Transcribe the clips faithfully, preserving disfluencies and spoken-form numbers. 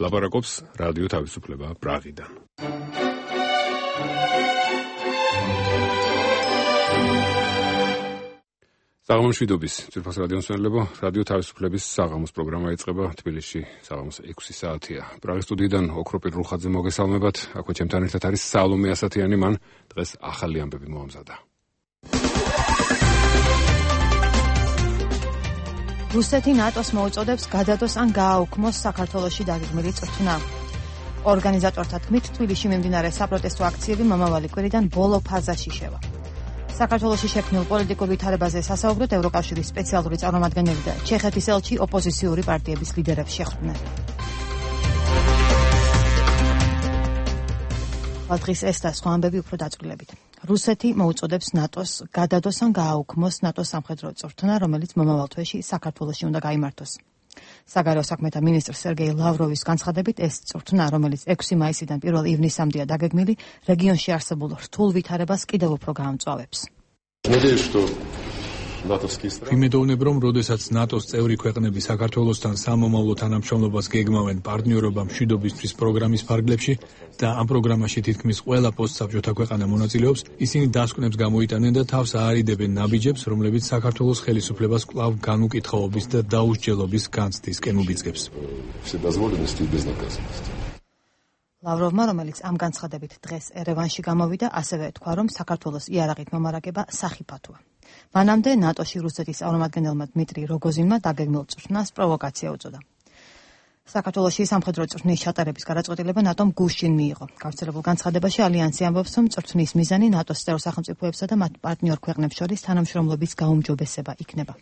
ლაპარაკობს რადიო თავისუფლება პრაღიდან. საღამოს შვიდობის ძვირფას რადიომსმენელებო, რადიო თავისუფლების საღამოს პროგრამა იწყება თბილისში საღამოს ექვსი საათია. პრაღის სტუდიიდან ოქროპირ რუხაძე მოგესალმებათ. აქვე ჩემთან ერთად არის სალომე ასათიანი, მან დღეს ახალი ამბები მოამზადა. რუსეთი ნატოს მოუწოდებს გადადოს ან გააუქმოს საქართველოში დაგეგმილი წვრთნა. ორგანიზატორთა თქმით, თბილისში მიმდინარე საპროტესტო აქციები მომავალი კვირიდან ბოლო ფაზაში შევა. საქართველოში შექმნილ პოლიტიკურ ვითარებაზე სასაუბროდ ევროკავშირის სპეციალური წარმომადგენელი და ჩეხეთის ელჩი ოპოზიციური პარტიების ლიდერებს შეხვდნენ. დღის ეს და სხვა ამბები უფრო დაწვრილებით. რუსეთი მოუწოდებს ნატოს გადადოს ან გააუქმოს ნატოს სამხედრო წვრთნა, რომელიც მომავალ თვეში საქართველოში უნდა გაიმართოს. საგარეო საქმეთა მინისტრ სერგეი ლავროვის განცხადებით, ეს წვრთნა, რომელიც ექვსი მაისიდან პირველ ივნისამდეა დაგეგმილი, რეგიონში არსებულ რთულ ვითარებას კიდევ უფრო გაამწვავებს. ვიმედოვნებ, რომ როდესაც ნატოს წევრი ქვეყნები საქართველოსთან სამომავლო თანამშრომლობას გეგმავენ პარტნიორობა მშვიდობისთვის პროგრამის ფარგლებში და ამ პროგრამაში თითქმის ყველა პოსტსაბჭოთა ქვეყანა მონაწილეობს, ისინი დასკვნებს გამოიტანენ და თავს აარიდებენ ნაბიჯებს, რომლებიც საქართველოს ხელისუფლებას კვლავ განუკითხაობის და დაუსჯელობის განცდისკენ უბიძგებს. ლავროვმა, რომელიც ამ განცხადებით დღეს ერევანში გამოვიდა, ასევე თქვა, რომ საქართველოს იარაღით მომარაგება სახიფათოა. მანამდე ნატოში რუსეთის წარმომადგენელმა დმიტრი როგოზინმა დაგეგმილ წვრთნას პროვოკაცია უწოდა. საქართველოში სამხედრო წვრთნის ჩატარების გადაწყვეტილება ნატომ გუშინ მიიღო. გავრცელებულ განცხადებაში ალიანსი ამბობს, რომ წვრთნის მიზანი ნატოს წევრ სახელმწიფოებსა და მათ პარტნიორ ქვეყნებს შორის თანამშრომლობის გაუმჯობესება იქნება.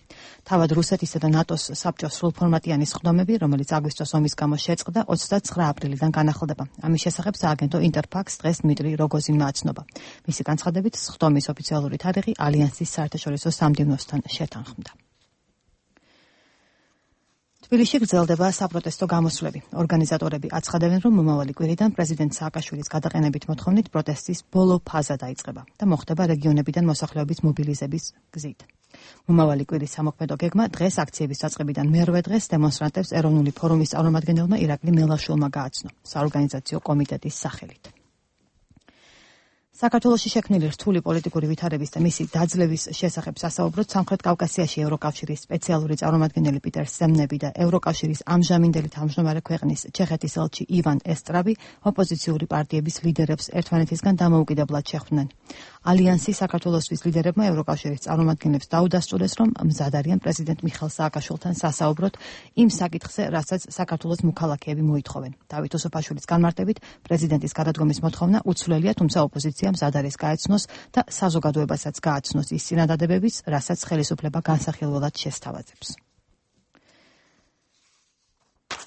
თავად რუსეთისა და ნატოს საბჭოს სრულფორმატიანი სხდომები, რომელიც აგვისტოს ომის გამო შეწყდა, ოცდაცხრა აპრილიდან განახლდება. ამის შესახებ სააგენტო ინტერფაქს დღეს დმიტრი როგოზინმა აცნობა. მისი განცხადებით, სხდომის ოფიციალური თარიღი ალიანსის საერთაშორისო სამდივნოსთან შეთანხმდა. თბილისში გრძელდება საპროტესტო გამოსვლები. ორგანიზატორები აცხადებენ, რომ მომავალი კვირიდან პრეზიდენტ სააკაშვილის გადაყენებით მოთხოვნით პროტესტის ბოლო ფაზა დაიწყება და მოხდება რეგიონებიდან მოსახლეობის მობილიზების გზით. მომავალი კვირის სამოქმედო გეგმა დღეს აქციების დაწყებიდან მერვე დღეს დემონსტრანტებს ეროვნული ფორუმის წარმომადგენელმა ირაკლი მელაშვილმა გააცნო საორგანიზაციო კომიტეტის სახელით. საქართველოში შექმნილი რთული პოლიტიკური ვითარების და მისი დაძლევის შესახებ სასაუბროდ სამხრეთ კავკასიაში ევროკავშირის სპეციალური წარმომადგენელი პიტერ სემნები და ევროკავშირის ამჟამინდელი თავმჯდომარე ქვეყნის ჩეხეთის ელჩი ივან ესტრაბი ოპოზიციური პარტიების ლიდერებს ერთმანეთისგან დამოუკიდებლად შეხვდნენ. ალიანსი საქართველოსთვის ლიდერებმა ევროკავშირის წარმომადგენლებს დაუდასტურეს, რომ მზად არიან პრეზიდენტ მიხეილ სააკაშვილთან სასაუბროთ იმ საკითხზე, რასაც საქართველოს მოქალაქეები მოითხოვენ. დავით უსუფაშვილის განმარტებით, პრეზიდენტის გადადგომის მოთხოვნა უცვლელია, თუმცა ოპოზიცია მზად არის გაეცნოს და საზოგადოებასაც გააცნოს ის წინადადებებიც, რასაც ხელისუფლება განსახილველად შესთავაზებს.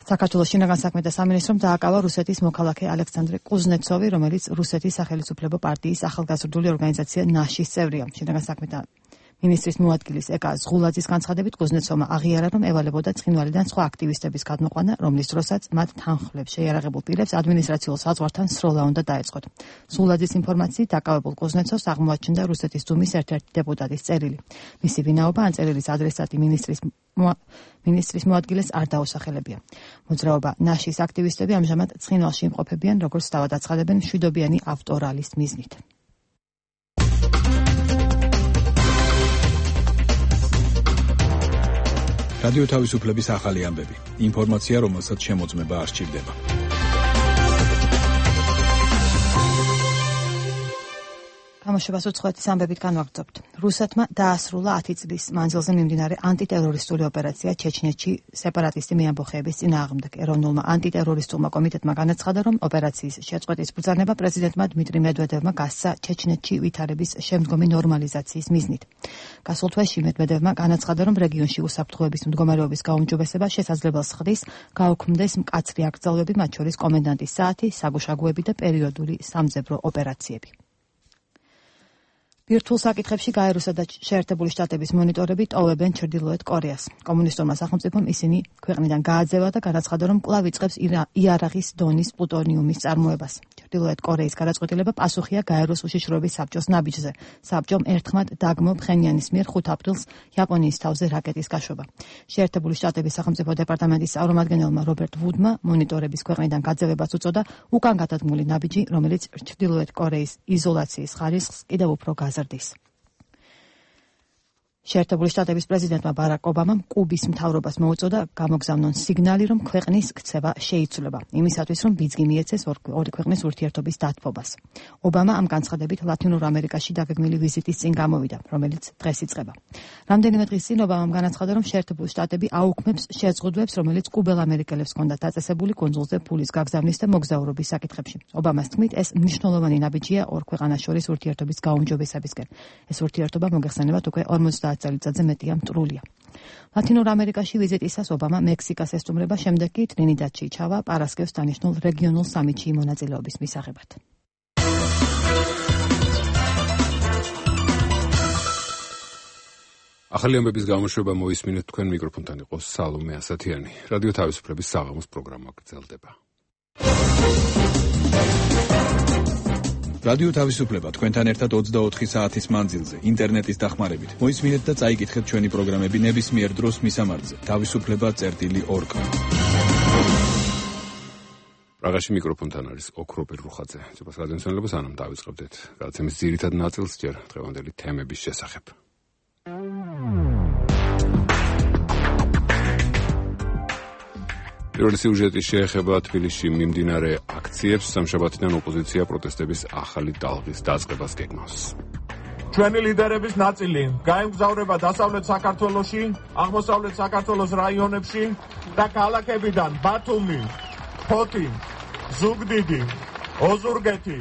საქართველოს შინაგან საქმეთა სამინისტრომ დააკავა რუსეთის მოქალაქე ალექსანდრე კუზნეცოვი, რომელიც რუსეთის სახელისუფლებო პარტიის ახალგაზრდული ორგანიზაცია ნაშის წევრია. შინაგან საქმეთა მინისტრის მოადგილის ეკა ზღულაძის განცხადებით, კუზნეცოვმა აღიარა, რომ ევალებოდა ცხინვალიდან სხვა აქტივისტების გადმოყვანა, რომლის დროსაც მათ თანხმლებს შეიარაღებულ პირებს ადმინისტრაციულ საზღვართან სროლა უნდა დაეწყოთ. ზღულაძის ინფორმაციით, დაკავებულ კუზნეცოვს აღმოაჩნდა რუსეთის დუმის ერთ-ერთი დეპუტატის წერილი. მისი ვინაობა ან წერილის ადრესატი მინისტრის მინისტრის მოადგილეს არ დაუსახელებია. მოძრაობა ნაშის აქტივისტები ამჟამად ცხინვალში იმყოფებიან, როგორც თავად აცხადებენ, მშვიდობიანი ავტორალის მიზნით. რადიო თავისუფლების ახალი ამბები. ინფორმაცია, რომელსაც შემოწმება არ სჭირდება. გამოშვებას უცხოეთის ამბებით განვაგრძობთ. რუსეთმა დაასრულა ათი წლის მანძილზე მიმდინარე ანტიტერორისტული ოპერაცია ჩეჩნეთში სეპარატისტი მეამბოხეების წინააღმდეგ. ეროვნულმა ანტიტერორისტულმა კომიტეტმა განაცხადა, რომ ოპერაციის შეწყვეტის ბრძანება პრეზიდენტმა დმიტრი მედვედევმა გასცა ჩეჩნეთში ვითარების შემდგომი ნორმალიზაციის მიზნით. გასულ თვეში მედვედევმა განაცხადა, რომ რეგიონში უსაფრთხოების მდგომარეობის გაუმჯობესება შესაძლებელს ხდის გაუქმდეს მკაცრი აკრძალვები, მათ შორის კომენდანტის საათი, საგუშაგოები და პერიოდული სამძებრო ოპერაციები. ბირთვულ საკითხებში გაეროსა და შეერთებული შტატების მონიტორები ტოვებენ ჩრდილოეთ კორეას. კომუნისტურმა სახელმწიფომ ისინი ქვეყნიდან გააძევა და განაცხადა, რომ კვლავ იწყებს იარაღის დონის პლუტონიუმის წარმოებას. ჩრდილოეთ კორეის გადაწყვეტილება პასუხია გაეროს უშიშროების საბჭოს ნაბიჯზე. საბჭომ ერთხმად დაგმო ფხენიანის მიერ ხუთ აპრილს იაპონიის თავზე რაკეტის გაშვება. შეერთებული შტატების სახელმწიფო დეპარტამენტის წარმომადგენელმა რობერტ ვუდმა მონიტორების ქვეყნიდან გაძევებას უწოდა უკან გადადგმული ნაბიჯი, რომელიც ჩრდილოეთ კორეის იზოლაციის ხარისხს კიდევ უფრო გაზრდის. შეერთებული შტატების პრეზიდენტმა ბარაკ ობამამ კუბის მთავრობას მოუწოდა გამოგზავნონ სიგნალი, რომ ქვეყნის ქცევა შეიცვლება, იმისათვის, რომ ბიძგი მიეცეს ორი ქვეყნის ურთიერთობის დათბობას. ობამა ამ განცხადებით ლათინურ ამერიკაში დაგეგმილი ვიზიტის წინ გამოვიდა, რომელიც დღეს იწყება. რამდენიმე დღის წინ ობამამ განაცხადა, რომ შეერთებული შტატები აუქმებს შეზღუდვებს, რომელიც კუბელ ამერიკელებს ჰქონდათ დაწესებული კუნძულზე ფულის გაგზავნის და მოგზაურობის საკითხებში. ობამას თქმით, ეს მნიშვნელოვანი ნაბიჯია ორ ქვეყანას შორის ურთიერთობის გაუმჯობესებისკენ. ეს ურთიერთობა მოგეხსენებათ უკვე ორმოცდაათ წელიწადზე მეტია მტრულია. ლათინურ ამერიკაში ვიზიტისას ობამა მექსიკას ესტუმრება, შემდეგ კი ტრინიდადში ჩავა პარასკევს დანიშნულ რეგიონულ სამიტში მონაწილეობის მისაღებად. ახალი ამბების გამოშვება მოისმინეთ, თქვენ მიკროფონთან იყო სალომე ასათიანი. რადიო თავისუფლების საღამოს პროგრამა გრძელდება. რადიო თავისუფლება თქვენთან ერთად ოცდაოთხი საათის მანძილზე, ინტერნეტის დახმარებით. მოისმინეთ და წაიკითხეთ ჩვენი პროგრამები ნებისმიერ დროს მისამართზე. თავისუფლება წერტილი ორ კა. პრაღაში მიკროფონთან არის ოქროპირ რუხაძე. ძვირფას გადამცემლებას ანამ დავიწყებდეთ. გადაცემის ძირითად ნაწილს ჯერ დღევანდელი თემების შესახებ. პირველი სიუჟეტი შეეხება თბილისში მიმდინარე აქციებს. სამშაბათიდან ოპოზიცია პროტესტების ახალი ტალღის დაწყებას გეგმავს. ჩვენი ლიდერების ნაწილი გაემგზავრება დასავლეთ საქართველოში, აღმოსავლეთ საქართველოს რაიონებში და ქალაქებიდან ბათუმი, ფოთი, ზუგდიდი, ოზურგეთი,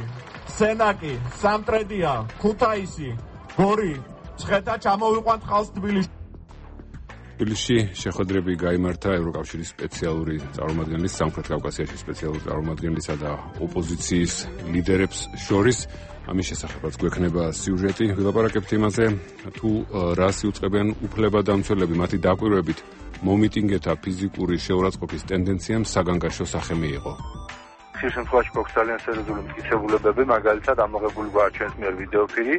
სენაკი, სამტრედია, ქუთაისი, გორი, ცხეთა ჩამოვიყვანთ ხალხს თბილისში. თბილისში შეხვედრები გაიმართა ევროკავშირის სპეციალური წარმომადგენლის, სამხრეთ კავკასიაში სპეციალური წარმომადგენლისა და ოპოზიციის ლიდერებს შორის. ამის შესახებაც გვექნება სიუჟეტი. ვილაპარაკებთ იმაზე, თუ რას იუწყებიან უფლებადამცველები, მათი დაკვირვებით მომიტინგეთა ფიზიკური შეურაცხყოფის ტენდენციამ საგანგაშო სახე მიიღო. ხშირ შემთხვევაში გვაქვს ძალიან სერიოზული მტკიცებულებები, მაგალითად ამოღებული გვაქვს ჩვენს მიერ ვიდეოფილი.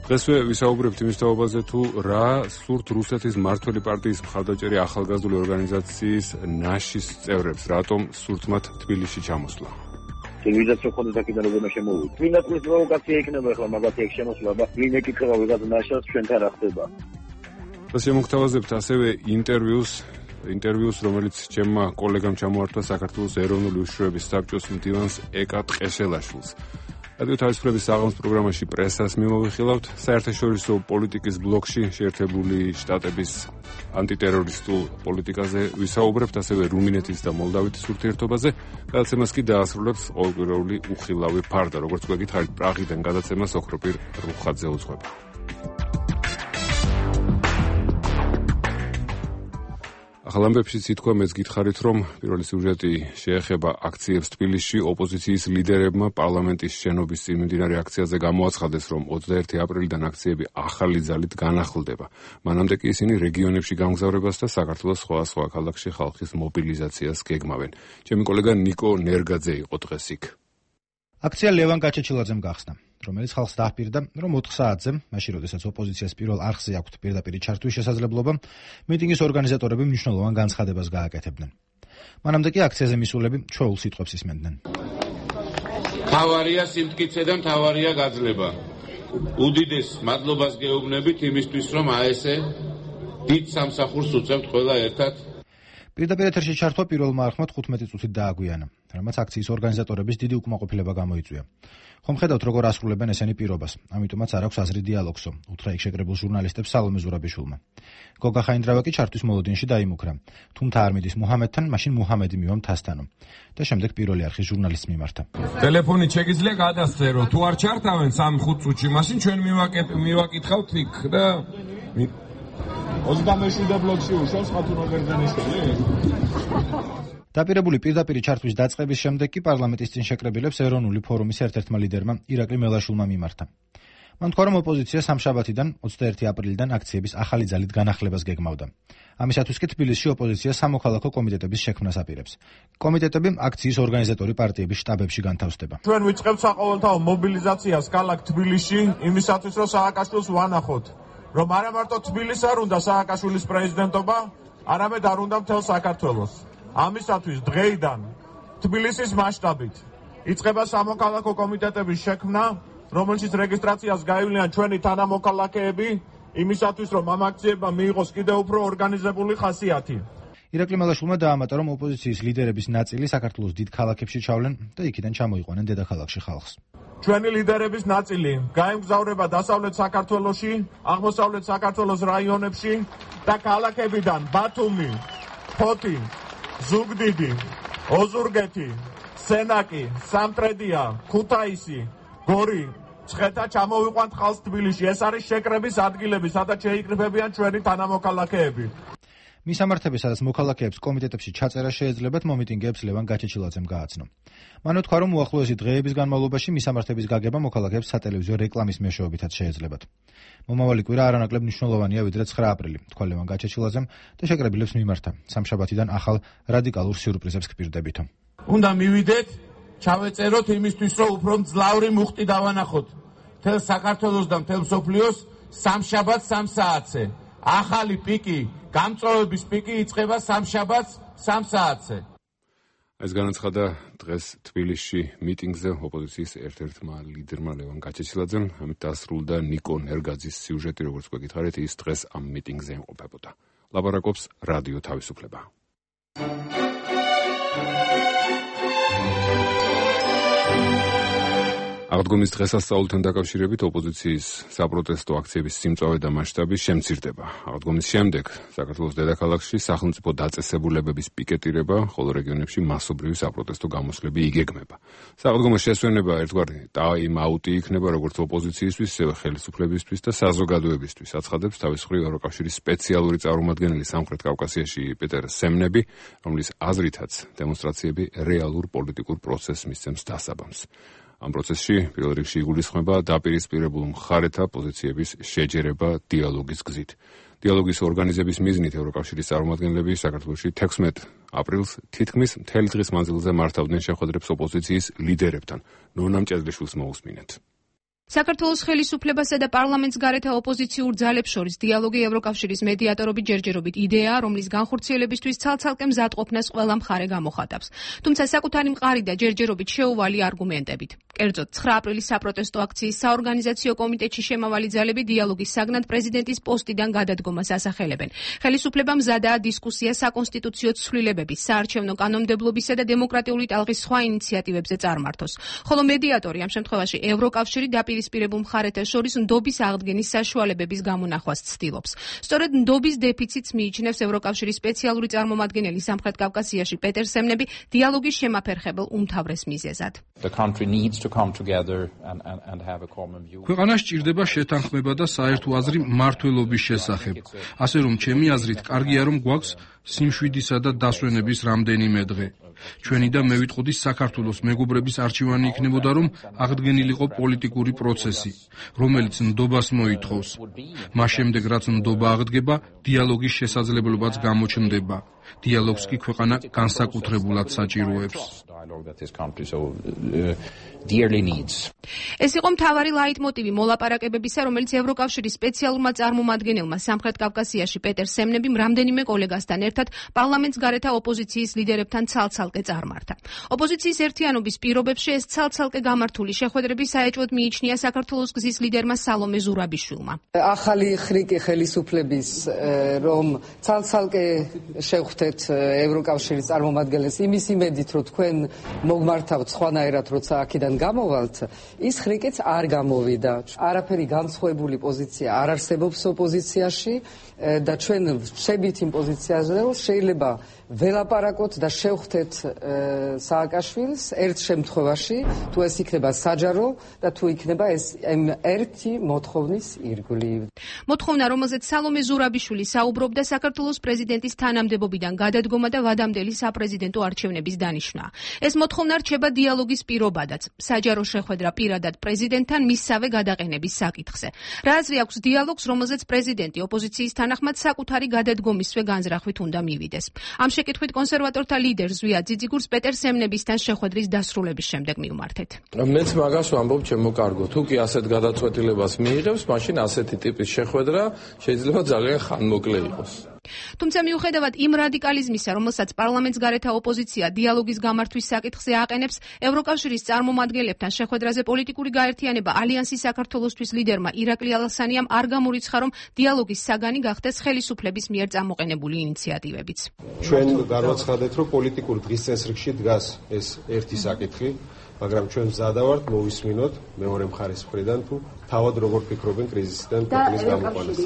დღესვე ვისაუბრებთ იმის თაობაზე, თუ რა სურთ რუსეთის მმართველი პარტიის მხარდაჭერი ახალგაზრდული ორგანიზაციის ნაშის წევრებს, რატომ სურთ მათ თბილისში ჩამოსვლა. ტელევიზიას რო ხონდა საკიდან როგორ შემოვიდა. ვინაც ეს პროვოკაცია იქნება ახლა მაგათი ეგ შემოსვლა და ვინ ეკითხება ვიღაც ნაშას ჩვენთან რა ხდება. და შემოგთავაზებთ ასევე ინტერვიუს, ინტერვიუს, რომელიც ჩემმა კოლეგამ ჩამოართვა საქართველოს ეროვნული უშიშროების საბჭოს მდივანს ეკა ტყეშელაშვილს. რადიო თავისუფლების საღამოს პროგრამაში პრესას მიმოვიხილავთ. საერთაშორისო პოლიტიკის ბლოკში შეერთებული შტატების ანტიტერორისტულ პოლიტიკაზე ვისაუბრებთ, ასევე რუმინეთის და მოლდავითის ურთიერთობაზე. გადაცემას კი დაასრულებს ყოველკვირეული უხილავი ფარდა. როგორც გვეკითხარით, პრაღიდან გადაცემას ოქროპირ რუხაძე უძღვება. ახალ ამბებშიც ითქვა, მეც გითხარით, რომ პირველი სიუჟეტი შეეხება აქციებს თბილისში. ოპოზიციის ლიდერებმა პარლამენტის შენობის წინ მიმდინარე აქციაზე გამოაცხადეს, რომ ოცდაერთი აპრილიდან აქციები ახალი ძალით განახლდება. მანამდე კი ისინი რეგიონებში გამგზავრებას და საქართველოს სხვადასხვა ქალაქში ხალხის მობილიზაციას გეგმავენ. ჩემი კოლეგა ნიკო ნერგაძე იყო დღეს იქ. აქცია ლევან გაჩეჩილაძემ გახსნა, რომელიც ხალხს დაჰპირდა, რომ ოთხ საათზე, მაშინ როდესაც ოპოზიციას პირველ არხზე აქვთ პირდაპირი ჩართვის შესაძლებლობა, მიტინგის ორგანიზატორები მნიშვნელოვან განცხადებას გააკეთებდნენ. მანამდე კი აქციაზე მისულები ჩვეულ სიტყვებს ისმენდნენ. მთავარია სიმტკიცე და მთავარია გაძლება. უდიდეს მადლობას გეუბნებით იმისთვის, რომ აესე დიდ სამსახურს უწევთ ყველა ერთად. პირდაპირ ეთერში ჩართვა პირველმა არხმა თხუთმეტი წუთით დააგვიანა, რამაც აქციის ორგანიზატორების დიდი უკმაყოფილება გამოიწვია. ხომ ხედავთ, როგორ ასრულებენ ესენი პირობას, ამიტომაც არ აქვს აზრი დიალოგსო, უთხრა იქ შეკრებულ ჟურნალისტებს სალომე ზურაბიშვილმა. გოგა ხაინდრავა კი ჩართვის მოლოდინში დაიმუქრა. თუ მთა არ მიდის მუჰამედთან, მაშინ მუჰამედი მივა მთასთანო. და შემდეგ პირველი არხის ჟურნალისტს მიმართა. ტელეფონით შეგიძლია გადასწერო, თუ არ ჩართავენ სამი-ხუთ წუთში, მაშინ ჩვენ მივაკითხავთ იქ და ოცდამეშვიდე ბლოკში უშავს ხათუნა ბერძენიშვილი. დაპირებული პირდაპირი ჩართვის დაწყების შემდეგ კი პარლამენტის წინ შეკრებილებს ეროვნული ფორუმის ერთ-ერთმა ლიდერმა ირაკლი მელაშვილმა მიმართა. მან თქვა, რომ ოპოზიცია სამშაბათიდან ოცდაერთი აპრილიდან აქციების ახალი ძალით განახლებას გეგმავდა. ამისათვის კი თბილისში ოპოზიცია სამოქალაქო კომიტეტების შექმნას აპირებს. კომიტეტები აქციის ორგანიზატორი პარტიების შტაბებში განთავსდება. ჩვენ ვიწყებთ საყოველთაო მობილიზაციას ქალაქ თბილისში იმისათვის, რომ სააკაშვილს ვანახოთ, რომ არა მარტო თბილისს არ უნდა სააკაშვილის პრეზიდენტობა, არამედ არ უნდა მთელ საქართველოს. ამისათვის დღეიდან თბილისის მასშტაბით იწყება სამოქალაქო კომიტეტების შექმნა, რომელშიც რეგისტრაციას გაივლიან ჩვენი თანამოქალაქეები, იმისათვის, რომ ამ აქციებმა მიიღოს კიდევ უფრო ორგანიზებული ხასიათი. ირაკლი მელაშვილმა დაამატა, რომ ოპოზიციის ლიდერების ნაწილი საქართველოს დიდ ქალაქებში ჩავლენ და იქიდან ჩამოიყვანენ დედაქალაქში ხალხს. ჩვენი ლიდერების ნაწილი გაემგზავრება დასავლეთ საქართველოში, აღმოსავლეთ საქართველოს რაიონებში და ქალაქებიდან ბათუმი, ფოთი, ზუგდიდი, ოზურგეთი, სენაკი, სამტრედია, ქუთაისი, გორი, ცხეთა ჩამოვიყვანთ ხალხს თბილისში. ეს არის შეკრების ადგილები, სადაც შეიკრიბებიან ჩვენი თანამოქალაქეები. მისამართები, სადაც მოქალაქეებს კომიტეტებში ჩაწერა შეეძლებათ, მომიტინგეებს ლევან გაჩეჩილაძემ გააცნო. მან უთქვა, რომ უახლოესი დღეების განმავლობაში მისამართების გაგება მოქალაქეებს სატელევიზიო რეკლამის მეშვეობითაც შეეძლებათ. მომავალი კვირა არანაკლებ მნიშვნელოვანია, ვიდრე ცხრა აპრილი, თქვა ლევან გაჩეჩილაძემ და შეკრებილებს მიმართა. სამშაბათიდან ახალ რადიკალურ სიურპრიზებს გპირდებითო. უნდა მივიდეთ, ჩავეწეროთ იმისთვის, რომ უფრო მძლავრი მუხტი დავანახოთ. მთელ საქართველოს და მთელ მსოფლიოს სამშაბათს სამ საათზე. ახალი პიკი, გამწვავების პიკი იწყება სამშაბათს სამ საათზე. ეს განაცხადა დღეს თბილისში მიტინგზე ოპოზიციის ერთ-ერთმა ლიდერმა ლევან გაჩეჩილაძემ. ამით დასრულდა ნიკო ნერგაძის სიუჟეტი, როგორც გვეკითხარით, ის დღეს ამ მიტინგზე იმყოფებოდა. ლაპარაკობს რადიო თავისუფლება. აღდგომის დღესასწაულთან დაკავშირებით ოპოზიციის საპროტესტო აქციების სიმწავე და მასშტაბი შემცირდება. აღდგომის შემდეგ საქართველოს დედაქალაქში სახელმწიფო დაწესებულებების პიკეტირება, ხოლო რეგიონებში მასობრივი საპროტესტო გამოსვლები იგეგმება. სააღდგომო შესვენება ერთგვარი ტაიმ-აუტი იქნება როგორც ოპოზიციისთვის, ისევე ხელისუფლებისთვის და საზოგადოებისთვის, აცხადებს თავის მხრივ ევროკავშირის სპეციალური წარმომადგენელი სამხრეთ კავკასიაში პეტერ სემნები, რომლის აზრითაც დემონსტრაციები რეალურ პოლიტიკურ პროცესს მისცემს დასაბამს. ამ პროცესში პირველ რიგში იგულისხმება დაპირისპირებულ მხარეთა პოზიციების შეჯერება დიალოგის გზით. დიალოგის ორგანიზების მიზნით ევროკავშირის წარმომადგენლები საქართველოში თექვსმეტ აპრილს თითქმის მთელი დღის მანძილზე მართავდნენ შეხვედრებს ოპოზიციის ლიდერებთან. ნონა მჭედლიშვილს მოусმინეთ. საქართველოს ხელისუფლებასა და პარლამენტს გარეთა ოპოზიციურ ძალებს შორის დიალოგი ევროკავშირის მედიატორობით ჯერჯერობით იდეაა, რომლის განხორციელებისთვის ცალ-ცალკე მზადყოფნას ყველა მხარე გამოხატავს. თუმცა საკუთარი მყარი და ჯერჯერობით შეუვალი არგუმენტებით. კერძოდ, ცხრა აპრილის საპროტესტო აქციის საორგანიზაციო კომიტეტში შემავალი ძალები დიალოგის საგნად პრეზიდენტის პოსტიდან გადადგომას ასახელებენ. ხელისუფლება მზადაა დისკუსია საკონსტიტუციო ცვლილებების, საარჩევნო კანონმდებლობისა და დემოკრატიული ტალღის სხვა ინიციატივებზე წარმართოს. ხოლო მედიატორი ამ შემთხვევაში ევროკავშირი დაპირისპირებულ მხარეთა შორის ნდობის აღდგენის საშუალებების გამონახვას ცდილობს. სწორედ ნდობის დეფიციტს მიიჩნევს ევროკავშირის სპეციალური წარმომადგენელი სამხრეთ კავკასიაში პეტერ სემნები დიალოგის შემაფერხებელ უმთავრეს მიზეზად. ქვეყანა სჭირდება შეთანხმება და საერთო აზრი მმართველობის შესახებ. ასე რომ ჩემი აზრით კარგია რომ გვაქვს სიმშვიდისა და დასვენების რამდენიმე დღე. ჩვენი და მე ვიტყოდი საქართველოს მეგობრების არჩევანი იქნებოდა რომ აღდგენილიყო პოლიტიკური პროცესი, რომელიც ნდობას მოითხოვს. მას შემდეგ რაც ნდობა აღდგება, დიალოგის შესაძლებლობაც გამოჩნდება. დიალოგს კი ქვეყანა განსაკუთრებულად საჭიროებს. ეს იყო მთავარი ლაიტმოტივი მოლაპარაკებებისა, რომელიც ევროკავშირის სპეციალურმა წარმომადგენელმა სამხრეთ კავკასიაში პეტერ სემნებიმ რამდენიმე კოლეგასთან ერთად პარლამენტს გარეთა ოპოზიციის ლიდერებთან ცალ-ცალკე წარმართა. ოპოზიციის ერთიანობის პირობებში ეს ცალ-ცალკე გამართული შეხვედრები საეჭვოდ მიიჩნია საქართველოს გზის ლიდერმა სალომე ზურაბიშვილმა. ახალი ხრიკი ხელისუფლების რომ ცალ-ცალკე შევხვდეთ ევროკავშირის წარმომადგენლებს იმის იმედით, რომ თქვენ მოგმართავთ სხვანაირად, როცა აქედან გამოვალთ, ის ხრიკიც არ გამოვიდა. არაფერი განსხვავებული პოზიცია არ არსებობს ოპოზიციაში და ჩვენ ვშებით იმ პოზიციაზე, რომ შეიძლება ველაპარაკოთ და შევხვდეთ სააკაშვილს ერთ შემთხვევაში, თუ ეს იქნება საჯარო და თუ იქნება ეს ერთი მოთხოვნის ირგვლივ. მოთხოვნა, რომელზეც სალომე ზურაბიშვილი საუბრობდა, საქართველოს პრეზიდენტის თანამდებობიდან გადადგომა და ვადამდელი საპრეზიდენტო არჩევნების დანიშვნაა. ეს მოთხოვნა რჩება დიალოგის პირობადაც. საჯარო შეხვედრა პირადად პრეზიდენტთან მისსავე გადაყენების საკითხზე. რა აზრი აქვს დიალოგს, რომელზეც პრეზიდენტი ოპოზიციის თანახმად საკუთარი გადადგომისვე განზრახვით უნდა მივიდეს. ამ შეკითხვით კონსერვატორთა ლიდერ ზვია ძიძიგურს პეტერ სემნებისთან შეხვედრის დასრულების შემდეგ მივმართეთ. მეც მაგას ვამბობ ჩემო კარგო, თუ კი ასეთ გადაწყვეტილებას მიიღებს, მაშინ ასეთი ტიპის შეხვედრა შეიძლება ძალიან ხანმოკლე იყოს. თუმცა მიუხედავად იმ რადიკალიზმისა, რომელსაც პარლამენტს გარეთა ოპოზიცია დიალოგის გამართვის საკითხზე აყენებს, ევროკავშირის წარმომადგენლებთან შეხვედრაზე პოლიტიკური გაერთიანება ალიანსის საქართველოსთვის ლიდერმა ირაკლი ალასანიამ არ გამორიცხა, რომ დიალოგის საგანი გახდეს ხელისუფლების მიერ წამოყენებული ინიციატივებიც. ჩვენ განვაცხადეთ, რომ პოლიტიკურ დღის წესრიგში დგას ეს ერთი საკითხი, მაგრამ ჩვენ მზადა ვართ მოვისმინოთ მეორე მხარის მხრიდან თუ თავად როგორ ფიქრობენ კრიზისიდან ქვეყნის გამოყვანას.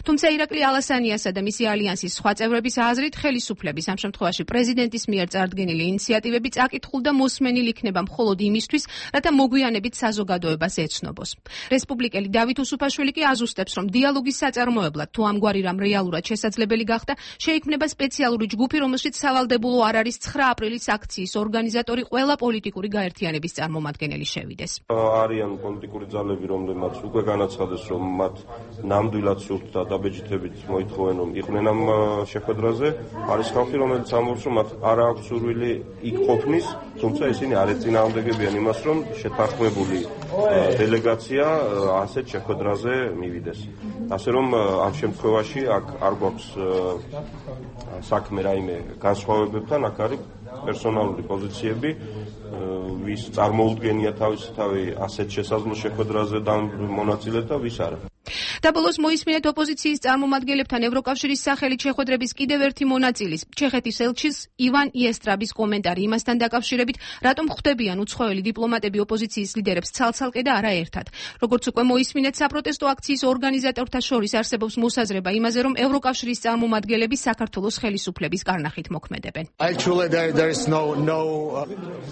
თუმცა ირაკლი ალასანიასა და მისი ალიანსის სხვა წევრების აზრით ხელისუფლების ამ შემთხვევაში პრეზიდენტის მიერ წარდგენილი ინიციატივები წაკითხულ და მოსმენილ იქნება მხოლოდ იმისთვის, რათა მოგვიანებით საზოგადოებას ეცნობოს. რესპუბლიკელი დავით უსუფაშვილი კი აზუსტებს, რომ დიალოგის საწარმოებლად თუ ამგვარი რამ რეალურად შესაძლებელი გახდა, შეიქმნება სპეციალური ჯგუფი, რომელშიც სავალდებულო არ არის ცხრა აპრილის აქციის ორგანიზატორი ყველა პოლიტიკური გაერთიანების წარმომადგენელი შევიდეს. არიან პოლიტიკური ძალები, რომლებმაც უკვე განაცხადეს, რომ მათ ნამდვილად სურთ და დაბეჭდებით მოითხოვენ, რომ იყვნენ ამ შეხვედრაზე. არის ხალხი, რომელიც ამბობს, რომ მათ არ აქვს სურვილი იქ ყოფნის, თუმცა ისინი არ ეწინააღმდეგებიან იმას, რომ შეთანხმებული დელეგაცია ასეთ შეხვედრაზე მივიდეს. ასე რომ ამ შემთხვევაში აქ არ გვაქვს საქმე რაიმე განსხვავებებთან, აქ არის პერსონალური პოზიციები, ვის წარმოუდგენია თავისი თავი ასეთ შესაძლო შეხვედრაზე და მონაწილე და ვის არა. დაბოლოს მოისმინეთ ოპოზიციის წარმომადგენლებთან ევროკავშირის სახელით შეხვედრების კიდევ ერთი მონაწილის, ჩეხეთის ელჩის ივან იესტრაბის კომენტარი იმასთან დაკავშირებით, რატომ ხვდებიან უცხოელი დიპლომატები ოპოზიციის ლიდერებს ცალ-ცალკე და არა ერთად. Როგორც უკვე მოისმინეთ, საპროტესტო აქციის ორგანიზატორთა შორის არსებობს მოსაზრება იმაზე, რომ ევროკავშირის წარმომადგენლები საქართველოს ხელისუფლების კარნახით მოქმედებენ.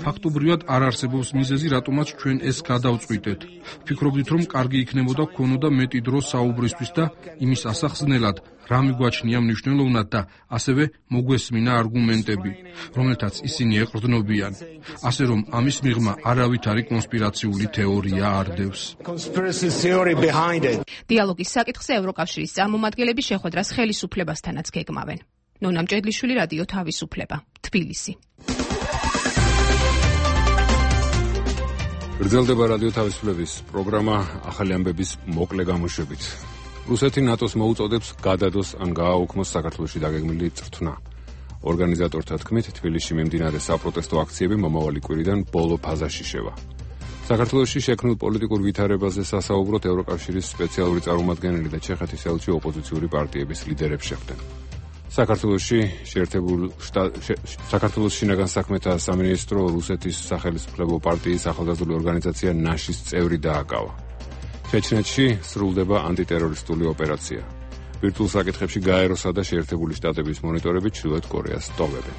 ფაქტობრივად არ არსებობს მიზეზი, რატომაც ჩვენ ეს გადავწყვიტეთ. ვფიქრობდით, რომ კარგი იქნებოდა გქონოდა მეტი დრო საუბრისთვის და იმის ასახსნელად, რა მიგვაჩნია მნიშვნელოვნად და ასევე მოგვესმინა არგუმენტები, რომელთაც ისინი ეყრდნობიან. ასე რომ ამის მიღმა არავითარი კონსპირაციული თეორია არდევს. დიალოგის საკითხზე ევროკავშირის წარმომადგენლები შეხვედრას ხელისუფლებასთანაც გეგმავენ. ნონა მჭედლიშვილი, რადიო თავისუფლება, თბილისი. გრძელდება რადიო თავისუფლების პროგრამა ახალი ამბების მოკლე გამოშვებით. რუსეთი ნატოს მოუწოდებს გადადოს ან გააუქმოს საქართველოში დაგეგმილი წრთნა. ორგანიზატორთა თქმით, თბილისში მიმდინარე საპროტესტო აქციები მომავალი კვირიდან ბოლო ფაზაში შევა. საქართველოში შექმნილ პოლიტიკურ ვითარებაზე სასაუბროდ ევროკავშირის სპეციალური წარმომადგენელი და ჩეხეთის ელჩი ოპოზიციური პარტიების ლიდერებს შეხვდნენ. საქართველოში შეერთებულ საქართველოს შინაგან საქმეთა სამინისტრო რუსეთის სახელმწიფო პარტიის ახალგაზრდული ორგანიზაცია ნაშის წევრი დააკავა. ჩეჩნეთში სრულდება ანტიტერორისტული ოპერაცია. ბირთვულ საკითხებში გაეროსა და შეერთებული შტატების მონიტორები ჩრდილოეთ კორეას ტოვებენ.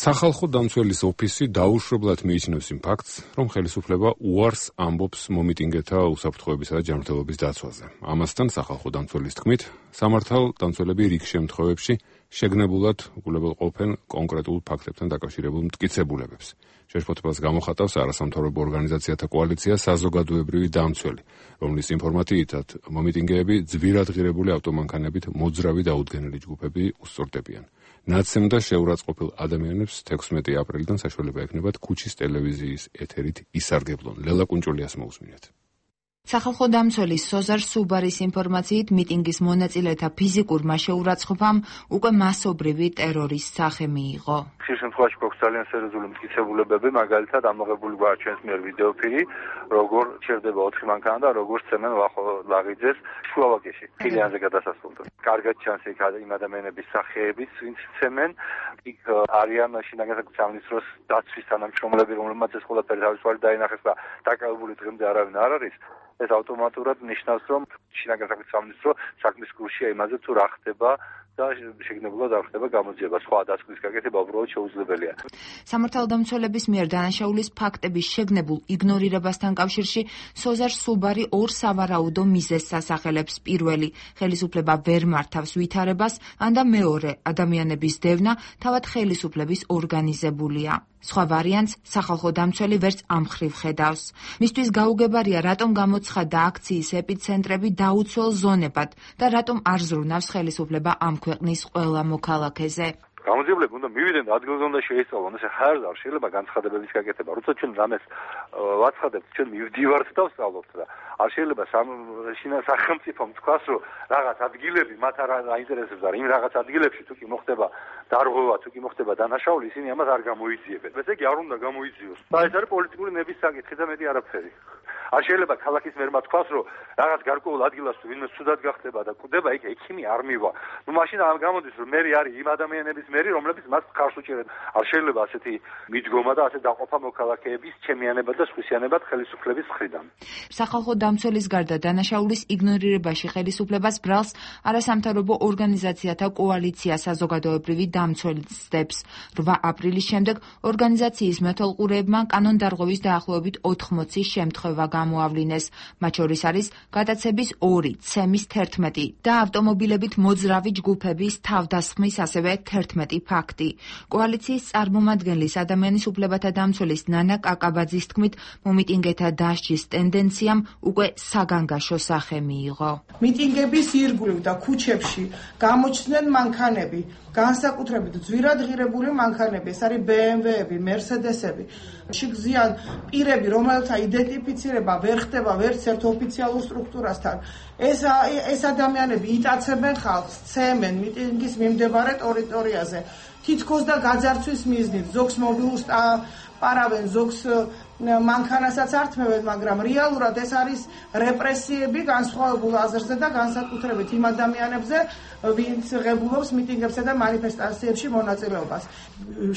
სახალხო დამცველის ოფისი დაუშვებლად მიიჩნევს იმ ფაქტს, რომ ხელისუფლება უარს ამბობს მომიტინგეთა უსაფრთხოებისა და ჯანმრთელობის დაცვაზე. ამასთან სახალხო დამცველის თქმით, სამართალ დამცველები რიგ შემთხვევებში შეგნებულად უყურებელყოფენ კონკრეტულ ფაქტებთან დაკავშირებულ მტკიცებულებებს. შეშფოთებას გამოხატავს არასამთავრობო ორგანიზაციათა კოალიცია საზოგადოებრივი დამცველი, რომლის ინფორმაციითაც მომიტინგეები ძვირად ღირებული ავტომანქანებით მოძრავი დაუდგენელი ჯგუფები უსწორდებიან. ნაცემ და შეურაცხყოფილ ადამიანებს თექვსმეტი აპრილიდან საშუალება ექნებათ ქუჩის ტელევიზიის ეთერით ისარგებლონ. ლელა კუნჭულიას მოусმინეთ. სახალხო დამცველის სოზარ სუბარის ინფორმაციით მიტინგის მონაწილეთა ფიზიკურმა შეურაცხყოფამ უკვე მასობრივი ტერორის სახე მიიღო. ხშირ შემთხვევაში გვაქვს ძალიან სერიოზული მტკიცებულებები, მაგალითად ამოღებული გვაქვს ჩვენს მიერ ვიდეოფილი, როგორ ჩერდება ოთხი მანქანა და როგორ ცემენ ლაღიძეს სლოვაკიაში, ფილიანზე გადასასვლელთან. კარგად ჩანს იქ იმ ადამიანების სახეებიც, ვინც ცემენ, იქ არიან შინაგან საქმეთა სამინისტროს დაცვის თანამშრომლები, რომლებმაც ეს ყველაფერი თავისუფალი დაინახეს და დაკავებული დღემდე არავინ არ არის. ეს ავტომატურად ნიშნავს, რომ შინაგან საქმეთა სამინისტრო საქმის გულშია იმაზე, თუ რა ხდება და შეგნებულად არ ხდება გამოძიება. სხვა დასკვნის გაკეთება უბრალოდ შეუძლებელია. სამართალდამცველების მიერ დანაშაულის ფაქტების შეგნებულ იგნორირებასთან კავშირში სოზარ სუბარი ორ სავარაუდო მიზეზს ასახელებს. პირველი, ხელისუფლება ვერ მართავს ვითარებას, ან და მეორე, ადამიანების დევნა თავად ხელისუფლების ორგანიზებულია. სხვა ვარიანტს სახალხო დამცველი ვერც ამ მხრივ ხედავს. მისთვის გაუგებარია, რატომ გამოცხადდა აქციის ეპიცენტრები დაუცველ ზონებად და რატომ არ ზრუნავს ხელისუფლება ამ ქვეყნის ყველა მოქალაქეზე. გამოძიებლები უნდა მივიდნენ და ადგილზე უნდა შეისწავლონ, ესე ხარ არ შეიძლება განცხადებების გაკეთება. როცა ჩვენ რამეს ვაცხადებთ, ჩვენ მივდივართ და ვსწავლობთ და არ შეიძლება სახელმწიფომ თქვას, რომ რაღაც ადგილები მათ არ აინტერესებს და იმ რაღაც ადგილებში თუ კი მოხდება დარღვევა, თუ კი მოხდება დანაშაული, ისინი ამას არ გამოიძიებენ. ესე იგი არ უნდა გამოიძიოს. და ეს არის პოლიტიკური ნების საკითხი და მეტი არაფერი. არ შეიძლება ქალაქის მერმა თქვას, რომ რაღაც გარკვეულ ადგილას თუ ვინმე ცუდად გახდება და კვდება, იქ ექიმი არ მივა. ნუ მაშინ ამ გამოდის, რომ მერი არის იმ ადამიანების მერი, რომლებიც მას ხარს უჭერენ. არ შეიძლება ასეთი მიდგომა და ასე დაყოფა მოქალაქეების ჩემიანებად და სხვისიანებად ხელისუფლების მხრიდან. სახალხო დამცველის გარდა დანაშაულის იგნორირებაში ხელისუფლებას ბრალს არასამთავრობო ორგანიზაციათა კოალიცია საზოგადოებრივი დამცველისდებს. რვა აპრილის შემდეგ ორგანიზაციის მეთვალყურეებმა კანონდარღვევის დაახლოებით ოთხმოცი შემთხვევა გამოავლინეს. მათ შორის არის გადაცების ორი, ცემის თერთმეტი და ავტომობილებით მოძრავი ჯგუფების თავდასხმის ასევე თერთმეტი ფაქტი. კოალიციის წარმომადგენლის ადამიანის უფლებათა დამცველის ნანა კაკაბაძის თქმით, მომიტინგეთა დასჯის ტენდენციამ უკვე საგანგაშო სახე მიიღო. მიტინგების ირგვლივ და ქუჩებში გამოჩნდნენ მანქანები, განსაკუთრებით ძვირად ღირებული მანქანები, ეს არის ბე ემ ვეები, მერსედესები. შეგზიან პირები, რომელთა იდენტიფიცირება ვერ ხდება ვერც ერთ ოფიციალურ სტრუქტურასთან. ეს ეს ადამიანები იტაცებენ ხალხს, ცემენ მიტინგის მიმდებარე ტერიტორიაზე. თითქოს და გაძარცვის მიზნით, ზოგს მობილურს პარავენ, ზოგს მანქანასაც ართმევენ, მაგრამ რეალურად ეს არის რეპრესიები განსხვავებულ აზრზე და განსაკუთრებით იმ ადამიანებზე, ვინც ღებულობს მიტინგებსა და მანიფესტაციებში მონაწილეობას.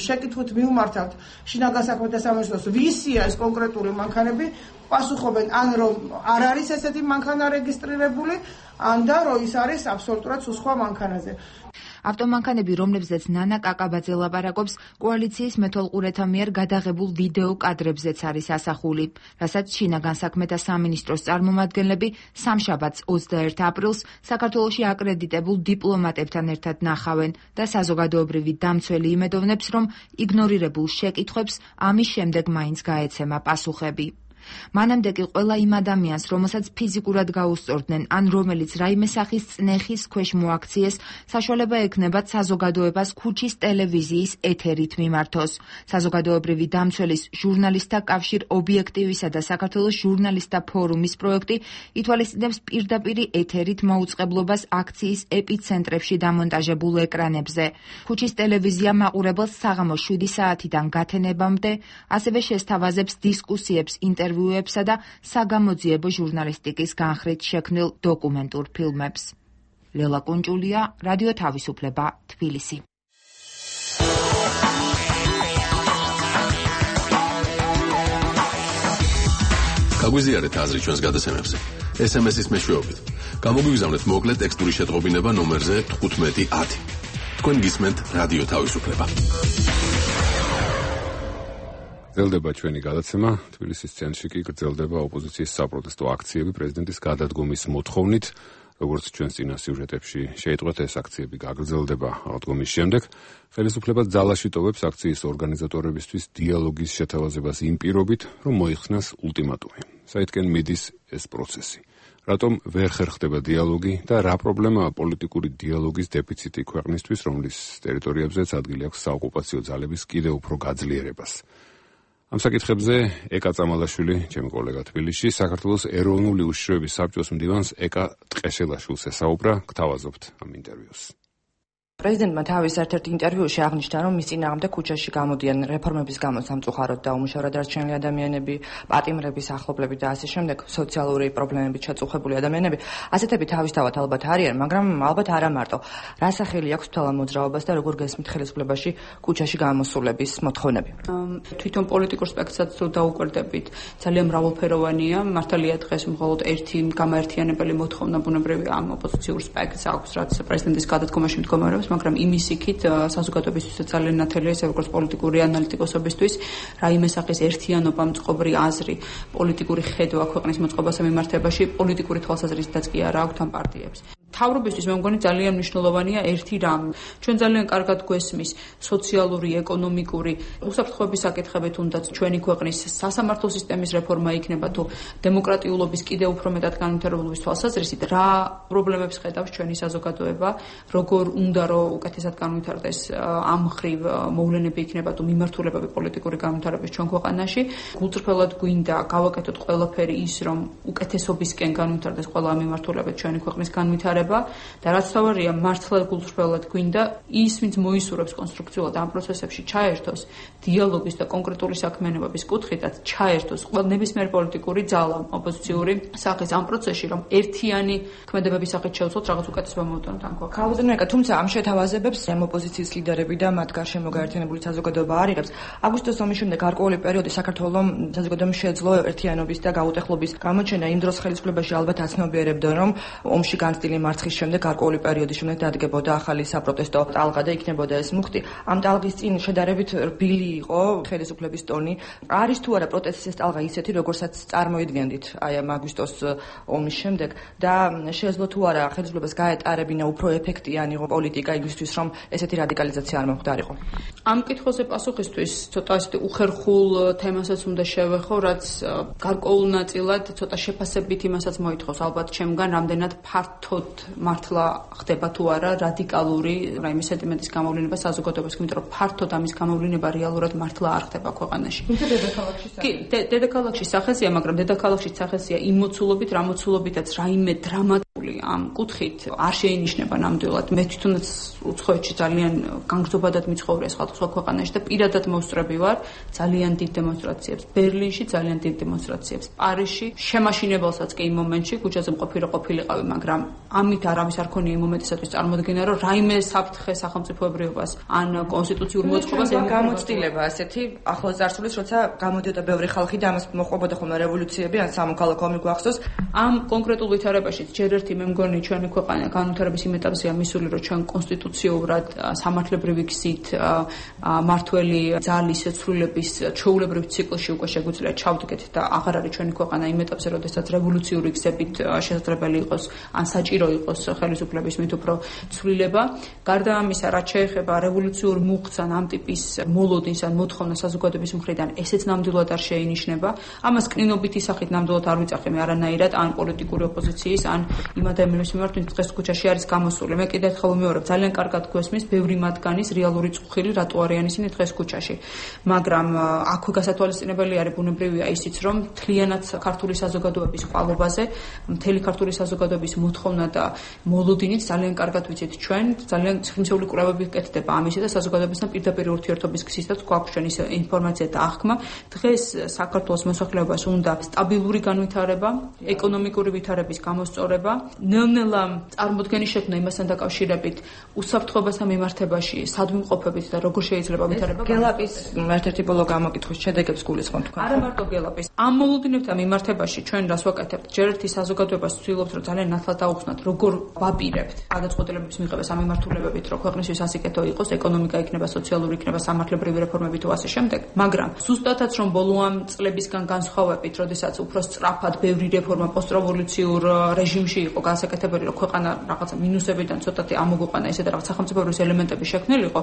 შეკითხვით მივმართავთ შინაგან საქმეთა სამინისტროს, ვისია ეს კონკრეტული მანქანები, პასუხობენ ან რომ არ არის ესეთი მანქანა რეგისტრირებული, ან და რომ ის არის აბსოლუტურად სხვა მანქანაზე. ავტომანქანები, რომლებზეც ნანა კაკაბაძე ლაპარაკობს, კოალიციის მეთვალყურეთა მიერ გადაღებულ ვიდეო კადრებზეც არის ასახული, რასაც შინაგან საქმეთა სამინისტროს წარმომადგენლები სამშაბათს ოცდაერთ აპრილს საქართველოში აკრედიტებულ დიპლომატებთან ერთად ნახავენ და საზოგადოებრივი დამცველი იმედოვნებს, რომ იგნორირებულ შეკითხვებს ამის შემდეგ მაინც გაეცემა პასუხები. მანამდე კი ყველა იმ ადამიანს, რომელსაც ფიზიკურად გაუსწორდნენ, ან რომელიც რაიმე სახის წნეხის ქვეშ მოაქციეს, საშუალება ექნებათ საზოგადოებას ქუჩის ტელევიზიის ეთერით მიმართოს. საზოგადოებრივი დამცველის ჟურნალისტთა კავშირ ობიექტივისა და საქართველოს ჟურნალისტთა ფორუმის პროექტი ითვალისწინებს პირდაპირი ეთერით მოუწყებლობას აქციის ეპიცენტრებში დამონტაჟებულ ეკრანებზე. ქუჩის ტელევიზია მაყურებელს საღამოს შვიდი საათიდან გათენებამდე, ასევე შესთავაზებს დისკუსიებს, ინტერვიუებს და საგამოძიებო ჟურნალისტიკის განხრით შექმნილ დოკუმენტურ ფილმებს. ლელა კუნჭულია, რადიო თავისუფლება, თბილისი. გაგვიზიარეთ აზრი ჩვენს გადაცემებზე. ეს ემ ესის მეშვეობით. გამოგვიგზავნეთ მოკლე ტექსტური შეტყობინება ნომერზე თხუთმეტი ათი. თქვენ გისმენთ რადიო თავისუფლება. გრძელდება ჩვენი გადაცემა. თბილისის ცენტრში კი გრძელდება ოპოზიციის საპროტესტო აქციები პრეზიდენტის გადადგომის მოთხოვნით. როგორც ჩვენს წინა სიუჟეტებში შეიტყვეთ, ეს აქციები გაგრძელდება აღდგომის შემდეგ. ხელისუფლება ძალაში ტოვებს აქციის ორგანიზატორებისთვის დიალოგის შეთავაზებას იმ პირობით, რომ მოიხსნას ultimatumi. საითკენ მიდის ეს პროცესი? რატომ ვერ ხერხდება დიალოგი და რა პრობლემაა პოლიტიკური დიალოგის დეფიციტი ქვეყნისთვის, რომლის ტერიტორიებზეც ადგილი აქვს საოკუპაციო ძალების კიდევ უფრო გაძლიერებას? ამ საკითხებზე ეკა წამალაშვილი, ჩემი კოლეგა თბილისში, საქართველოს ეროვნული უშიშროების საბჭოს მდივანს ეკა ტყეშელაშვილს ესაუბრა, გთავაზობთ ამ ინტერვიუს. პრეზიდენტმა თავის ერთ-ერთ ინტერვიუში აღნიშნა, რომ მის წინააღმდეგ ქუჩაში გამოდიან რეფორმების გამო სამწუხაროდ დაუმუშავრად დარჩენილი ადამიანები, პატიმრების ახლობლები და ასე შემდეგ, სოციალური პრობლემებით შეწუხებული ადამიანები. ასეთები თავისთავად ალბათ არიან, მაგრამ ალბათ არა მარტო. რა სახელი აქვს თვალა მოძრაობას და როგორ გესმით ხელისუფლებაში ქუჩაში გამოსულების მოთხოვნები? თვითონ პოლიტიკურ სპექტრსაც თუ დაუკვირდებით, ძალიან მრავალფეროვანია. მართალია დღეს მხოლოდ ერთი გამაერთიანებელი მოთხოვნა ბუნებრივია ამ ოპოზიციურ სპექტრს აქვს, რაც პრეზიდენტის გადადგომაში მდგომარეობს. მაგრამ იმის იქით საზოგადოებისთვის ძალიან ნათელია ეს როგორც პოლიტიკური ანალიტიკოსებისთვის, რაიმე სახის ერთიანობა, მწყობრი აზრი, პოლიტიკური ხედვა ქვეყნის მოწყობასა მიმართებაში, პოლიტიკური თვალსაზრისითაც კი არა აქვთ ამ პარტიებს. მთავრობისთვის მე მგონი ძალიან მნიშვნელოვანია ერთი რამ. ჩვენ ძალიან კარგად გვესმის სოციალური, ეკონომიკური, უსაფრთხოების საკითხები თუნდაც ჩვენი ქვეყნის სასამართლო სისტემის რეფორმა იქნება თუ დემოკრატიულობის კიდევ უფრო მეტად განვითარებულობის თვალსაზრისით, რა პრობლემებს ხედავს ჩვენი საზოგადოება, როგორ უნდა რომ უკეთესად განვითარდეს ამ ხრივ მოვლენები იქნება თუ მიმართულებები პოლიტიკური განვითარების ჩვენ ქვეყანაში. გულწრფელად გვინდა გავაკეთოთ ყველაფერი ის, რომ უკეთესობისკენ განვითარდეს ყველა მიმართულებით ჩვენი ქვეყნის განვითარება. და რაც თავარია, მართლა გულწრფელად გვინდა ის, ვინც მოისურვებს კონსტრუქციულად ამ პროცესებში ჩაერთოს დიალოგის და კონკრეტული საქმიანობების კუთხითაც ჩაერთოს ყველა ნებისმიერ პოლიტიკური ძალა ოპოზიციური სახის ამ პროცესში, რომ ერთიანი ქმედებების სახით შევცვლოთ რაღაც უკეთესობა მოვუტანოთ ამ ქვეყანას. ქალბატონიკა, თუმცა ამ შეთავაზებებს ოპოზიციის ლიდერები და მათ გარშემო გაერთიანებული საზოგადოება არ იღებს. აგვისტოს ომის შემდეგ გარკვეული პერიოდი საქართველოს საზოგადოებამ შეძლო ერთიანობის და გაუტეხლობის გამოჩენა. იმ დროს ხელისუფლებაში ალბათ აცნობიერებდა, რომ ომში განცდილი მარცხის შემდეგ გარკვეული პერიოდის შემდეგ დადგებოდა ახალი საპროტესტო ტალღა და იქნებოდა ეს მუხტი. ამ ტალღის წინ შედარებით რბილი იყო ხელისუფლების ტონი. არის თუ არა პროტესტის ეს ტალღა ისეთი, როგორცაც წარმოიდგენდით აი ამ აგვისტოს ომის შემდეგ და შეეძლო თუ არა ხელისუფლებას გაეტარებინა უფრო ეფექტიანი პოლიტიკა იმისთვის, რომ ესეთი რადიკალიზაცია არ მოხდარიყო? ამ კითხვაზე პასუხისთვის ცოტა ისეთი უხერხულ თემასაც უნდა შევეხო, რაც გარკვეულ ნაწილად ცოტა შეფასებით იმასაც მოითხოვს ალბათ ჩემგან, რამდენად ფართოდ მართლა ხდება თუ არა რადიკალური რაიმე სენტიმენტის გამოვლინება საზოგადოებას, იმიტომ რომ ფართოდ ამის გამოვლინება რეალურად მართლა არ ხდება ქვეყანაში. თუმცა დედაქალაქში კი, დედაქალაქში სახეზია, მაგრამ დედაქალაქში სახეზია იმ მოცულობით, რა მოცულობითაც რაიმე დრამატული ამ კუთხით არ შეინიშნება ნამდვილად. მე თვითონაც უცხოეთში ძალიან განგრძობადად მიცხოვრია სხვა ქვეყანაში და პირადად მოსწრები ვარ ძალიან დიდ დემონსტრაციებს. ბერლინში ძალიან დიდ დემონსტრაციებს. პარიზში შემაშინებელსაც კი იმ მომენტში ქუჩაზე მყოფი რო ყოფილიყავი, მაგრამ ამით არავის არ ქონია იმ მომენტისათვის წარმოდგენა, რომ რაიმე საფრთხე სახელმწიფოებრიობას ან კონსტიტუციურ მოწყობას გამოცდილება ასეთი ახლოს წარსულის, როცა გამოდიოდა ბევრი ხალხი და ამას მოყვებოდა ხოლმე რევოლუციები ან სამოქალაქო ომი გვახსოვს. ამ კონკრეტულ ვითარებაში ჯერ ერთი მე მგონი ჩვენი ქვეყანა განვითარების იმ ეტაპზეა მისული, რომ ჩვენ კონსტიტუციურად სამართლებრივი გზით მართველი ძალის ცვლილების ჩვეულებრივ ციკლში უკვე შეგვიძლია ჩავდგეთ და აღარ არის ჩვენი ქვეყანა იმ ეტაპზე, როდესაც რევოლუციური გზებით შესაძლებელი იყოს ან საჭირო იყოს ხელისუფლების მით უფრო ცვლილება. გარდა ამისა, რაც შეეხება რევოლუციურ მუხტს ან ამ ტიპის მოლოდინს ან მოთხოვნა საზოგადოების მხრიდან, ესეც ნამდვილად არ შეინიშნება. ამას კნინობითი სახით ნამდვილად არ ვიძახი მე არანაირად ან პოლიტიკური ოპოზიციის ან იმ ადამიანების მიმართ, ვინც დღეს ქუჩაში არის გამოსული. მე კიდევ ერთხელ ვიმეორებ, ძალიან კარგად გვესმის ბევრი მათგანის რეალური წუხილი, რატო არიან ისინი დღეს ქუჩაში. მაგრამ აქვე გასათვალისწინებელი არის ბუნებრივია ისიც, რომ მთლიანად ქართული საზოგადოების ყვალობაზე, მთელი ქართული საზოგადოების მოთხოვნა და მოლოდინით ძალიან კარგად ვიცით ჩვენ, ძალიან ციხისმცემლი კვლევები კეთდება ამისა და საზოგადოებასთან პირდაპირ ურთიერთობის გზითაც გვაქვს ჩვენი ინფორმაცია და აღქმა. დღეს საქართველოს მოსახლეობას უნდა სტაბილური განვითარება, ეკონომიკური ვითარების გამოსწორება, ნელ-ნელა წარმოდგენის შექმნა იმასთან დაკავშირებით უსაფრთხოებასთან მიმართებაში, სადმიმყოფებით და როგორ შეიძლება ვითარება. გელაპის ერთ-ერთი ბოლო გამოკითხვის შედეგებს გულისხმობ თქვენ. არა მარტო გელაპის. ამ მოლოდინებთან მიმართებაში ჩვენ რას ვაკეთებთ? ჯერ ერთი საზოგადოებას ვცდილობთ, რომ ძალიან ნათლად დაუხსნათ, როგორ ვაპირებთ გადაწყვეტილებების მიღება სამიმართულებებით, რომ ქვეყნისთვის ასიკეთო იყოს, ეკონომიკა იქნება, სოციალური იქნება, სამართლებრივი რეფორმები თუ ასე შემდეგ. მაგრამ ზუსტადაც რომ ბოლო ამ წლებისგან განსხვავებით, როდესაც უფრო სწრაფად ბევრი რეფორმა პოსტრევოლუციურ რეჟიმში იყო განსაკუთრებული, რომ ქვეყანა რაღაცა მინუსებიდან ცოტათი ამოგვიყვანა ესე და რაღაც სახელმწიფოებრივი ელემენტები შექმნილიყო,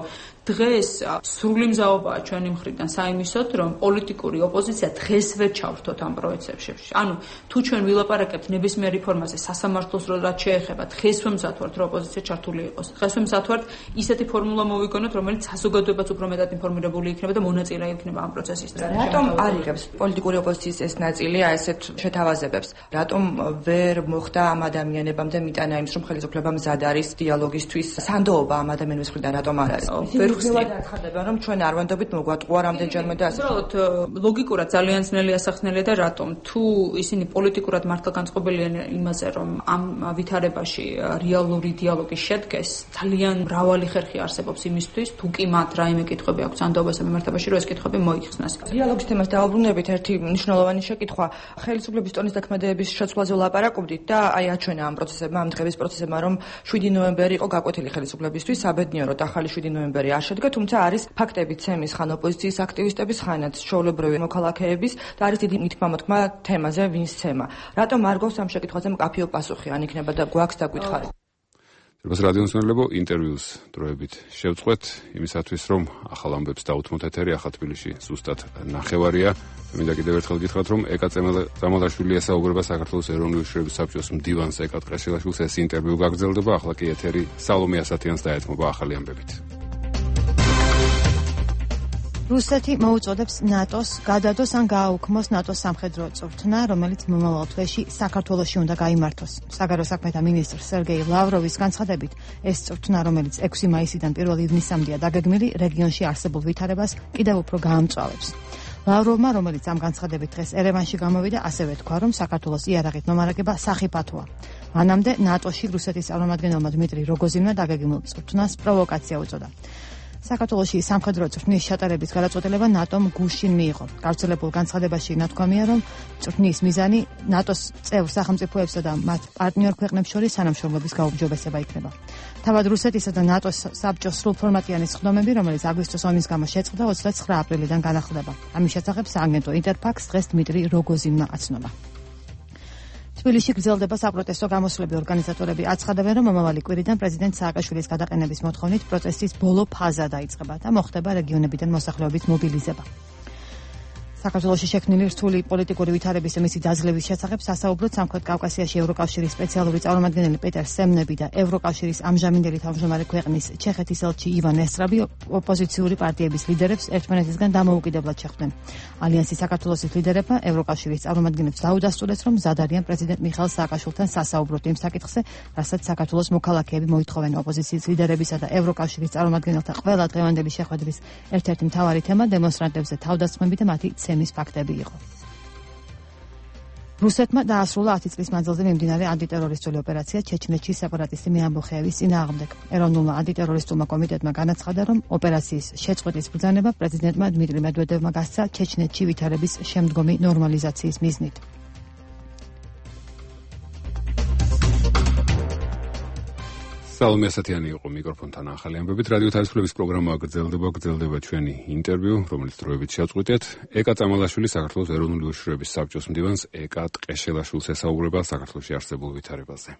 დღეს სრული მზაობაა ჩვენი მხრიდან საიმისოდ, რომ პოლიტიკური ოპოზიცია დღესვე ჩავრთოთ ამ პროცესებში. ანუ თუ ჩვენ ვილაპარაკებთ ნებისმიერ რეფორმაზე, სასამართლოს რაც შეეხება დღესვე მზადვართ რომ ოპოზიცია ჩართული იყოს. დღესვე მზადვართ ისეთი ფორმულა მოვიგონოთ, რომელიც საზოგადოებაც უფრო მეტად ინფორმირებული იქნება და მონაწილე იქნება ამ პროცესის. რატომ არ იღებს პოლიტიკური ოპოზიციის ეს ნაწილი აი ესეთ შეთავაზებებს? რატომ ვერ მოხდა ამ ადამიანებამდე მიტანა იმის რომ ხელისუფლება მზად არის დიალოგისთვის? სანდოობა ამ ადამიანების მხრიდან რატომ არ არის? ვერ ხსნით აცხადებენ რომ ჩვენ არ ვენდობით მოგვატყუა რამდენჯერმე და ასე. უბრალოდ ლოგიკურად ძალიან ძნელი ასახნელია და რატომ? თუ ისინი პოლიტიკურად მართლა განწყობილიან იმაზე რომ ამ ვითარებაში რეალური დიალოგი შედგეს, ძალიან მრავალი ხერხი არსებობს იმისთვის, თუ კი მათ რაიმე კითხვები აქვს სანდოობასთან მიმართებაში, რომ ეს კითხვები მოიხსნას. დიალოგის თემას დაუბრუნებით ერთი მნიშვნელოვანი შეკითხვა. ხელისუფლების ტონის დაქმედების შეცვლაზე ვლაპარაკობდით და აი აჩვენა ამ პროცესებმა, ამ დღების პროცესებმა, რომ შვიდი ნოემბერი იყო გაკვეთილი ხელისუფლებისთვის, საბედნიეროდ ახალი შვიდი ნოემბერი არ შედგა, თუმცა არის ფაქტები ცემის ხან ოპოზიციის აქტივისტების, ხანაც ჩვეულებრივი მოქალაქეების და არის დიდი მითქმა-მოთქმა თემაზე ვინს ცემა. რატომ არ გვაქვს ამ შეკითხვაზე მკაფიო პასუხი, ან იქნება და გვაქვს დაგვითხარი? ძვირფას რადიო მსმენელებო, ინტერვიუს დროებით შევწყვეთ იმისათვის, რომ ახალ ამბებს დაუთმოთ ეთერი, ახლა თბილისში ზუსტად ნახევარია. მინდა კიდევ ერთხელ გითხრათ, რომ ეკა წამალაშვილი ესაუბრება საქართველოს ეროვნული უშიშროების საბჭოს მდივანს ეკა ტყეშელაშვილს. ეს ინტერვიუ გაგრძელდება, ახლა კი ეთერი სალომე ასათიანს დაეთმობა ახალი ამბებით. რუსეთი მოუწოდებს ნატოს გადადოს ან გააუქმოს ნატოს სამხედრო წვრთნა, რომელიც მომავალ თვეში საქართველოში უნდა გაიმართოს. საგარეო საქმეთა მინისტრ სერგეი ლავროვის განცხადებით, ეს წვრთნა, რომელიც ექვსი მაისიდან პირველ ივნისამდეა დაგეგმილი, რეგიონში არსებულ ვითარებას კიდევ უფრო გაამწვავებს. ლავროვმა, რომელიც ამ განცხადებით დღეს ერევანში გამოვიდა, ასევე თქვა, რომ საქართველოს იარაღით მომარაგება სახიფათოა. მანამდე ნატოში რუსეთის წარმომადგენელმა დმიტრი როგოზინმა დაგეგმილ წვრთნას პროვოკაცია უწოდა. საქართველოში სამხედრო წვრთნის ჩატარების გადაწყვეტილება ნატომ გუშინ მიიღო. გავრცელებულ განცხადებაში ნათქვამია, რომ წვრთნის მიზანი ნატოს წევრ სახელმწიფოებსა და მათ პარტნიორ ქვეყნებს შორის თანამშრომლობის გაუმჯობესება იქნება. თავად რუსეთისა და ნატოს საბჭოს სრულფორმატიანი სხდომები, რომელიც აგვისტოს ომის გამო შეწყდა, ოცდაცხრა აპრილიდან განახლდება. ამის შესახებ სააგენტო ინტერფაქს დღეს დმიტრი როგოზინმა აცნობა. თბილისში გრძელდება საპროტესტო გამოსვლები. ორგანიზატორები აცხადებენ, რომ მომავალი კვირიდან პრეზიდენტ სააკაშვილის გადაყენების მოთხოვნით პროტესტის ბოლო ფაზა დაიწყება და მოხდება რეგიონებიდან მოსახლეობის მობილიზება. საქართველოში შექმნილი რთული პოლიტიკური ვითარების მისი დაძლევის შესახებ სასაუბროდ სამხრეთ კავკასიაში ევროკავშირის სპეციალური წარმომადგენელი პეტერ სემნები და ევროკავშირის ამჟამინდელი თავმჯდომარე ქვეყნის ჩეხეთის ელჩი ივან ესტრაბი ოპოზიციური პარტიების ლიდერებს ერთმანეთისგან დამოუკიდებლად შეხვდნენ. ალიანსის საქართველოს ლიდერებმა ევროკავშირის წარმომადგენლებს დაუდასტურეს, რომ მზად არიან პრეზიდენტ მიხაილ სააკაშვილთან სასაუბროთ იმ საკითხზე, რასაც საქართველოს მოქალაქეები მოითხოვენ. ოპოზიციის ლიდერებისა და ევროკავშირის წარმომადგენელთა ყველა დღევანდელი შეხვედრის ერთ-ერთი მთავარი თემა დემონსტრანტებზე თავდასხმები და მათი ცემის ფაქტები იყო. რუსეთმა დაასრულა ათი წლის მანძილზე მიმდინარე ანტიტერორისტული ოპერაცია ჩეჩნეთში სეპარატისტი მეამბოხეების წინააღმდეგ. ეროვნულმა ანტიტერორისტულმა კომიტეტმა განაცხადა, რომ ოპერაციის შეწყვეტის ბრძანება პრეზიდენტმა დმიტრი მედვედევმა გასცა ჩეჩნეთში ვითარების შემდგომი ნორმალიზაციის მიზნით. სალომე ასათიანი იყო მიკროფონთან ახალი ამბებით. რადიო თავისუფლების პროგრამა გრძელდება, გრძელდება ჩვენი ინტერვიუ, რომელიც დროებით შევწყვეტეთ. ეკა წამალაშვილი საქართველოს ეროვნული უშიშროების საბჭოს მდივანს ეკა ტყეშელაშვილს ესაუბრება საქართველოში არსებულ ვითარებაზე.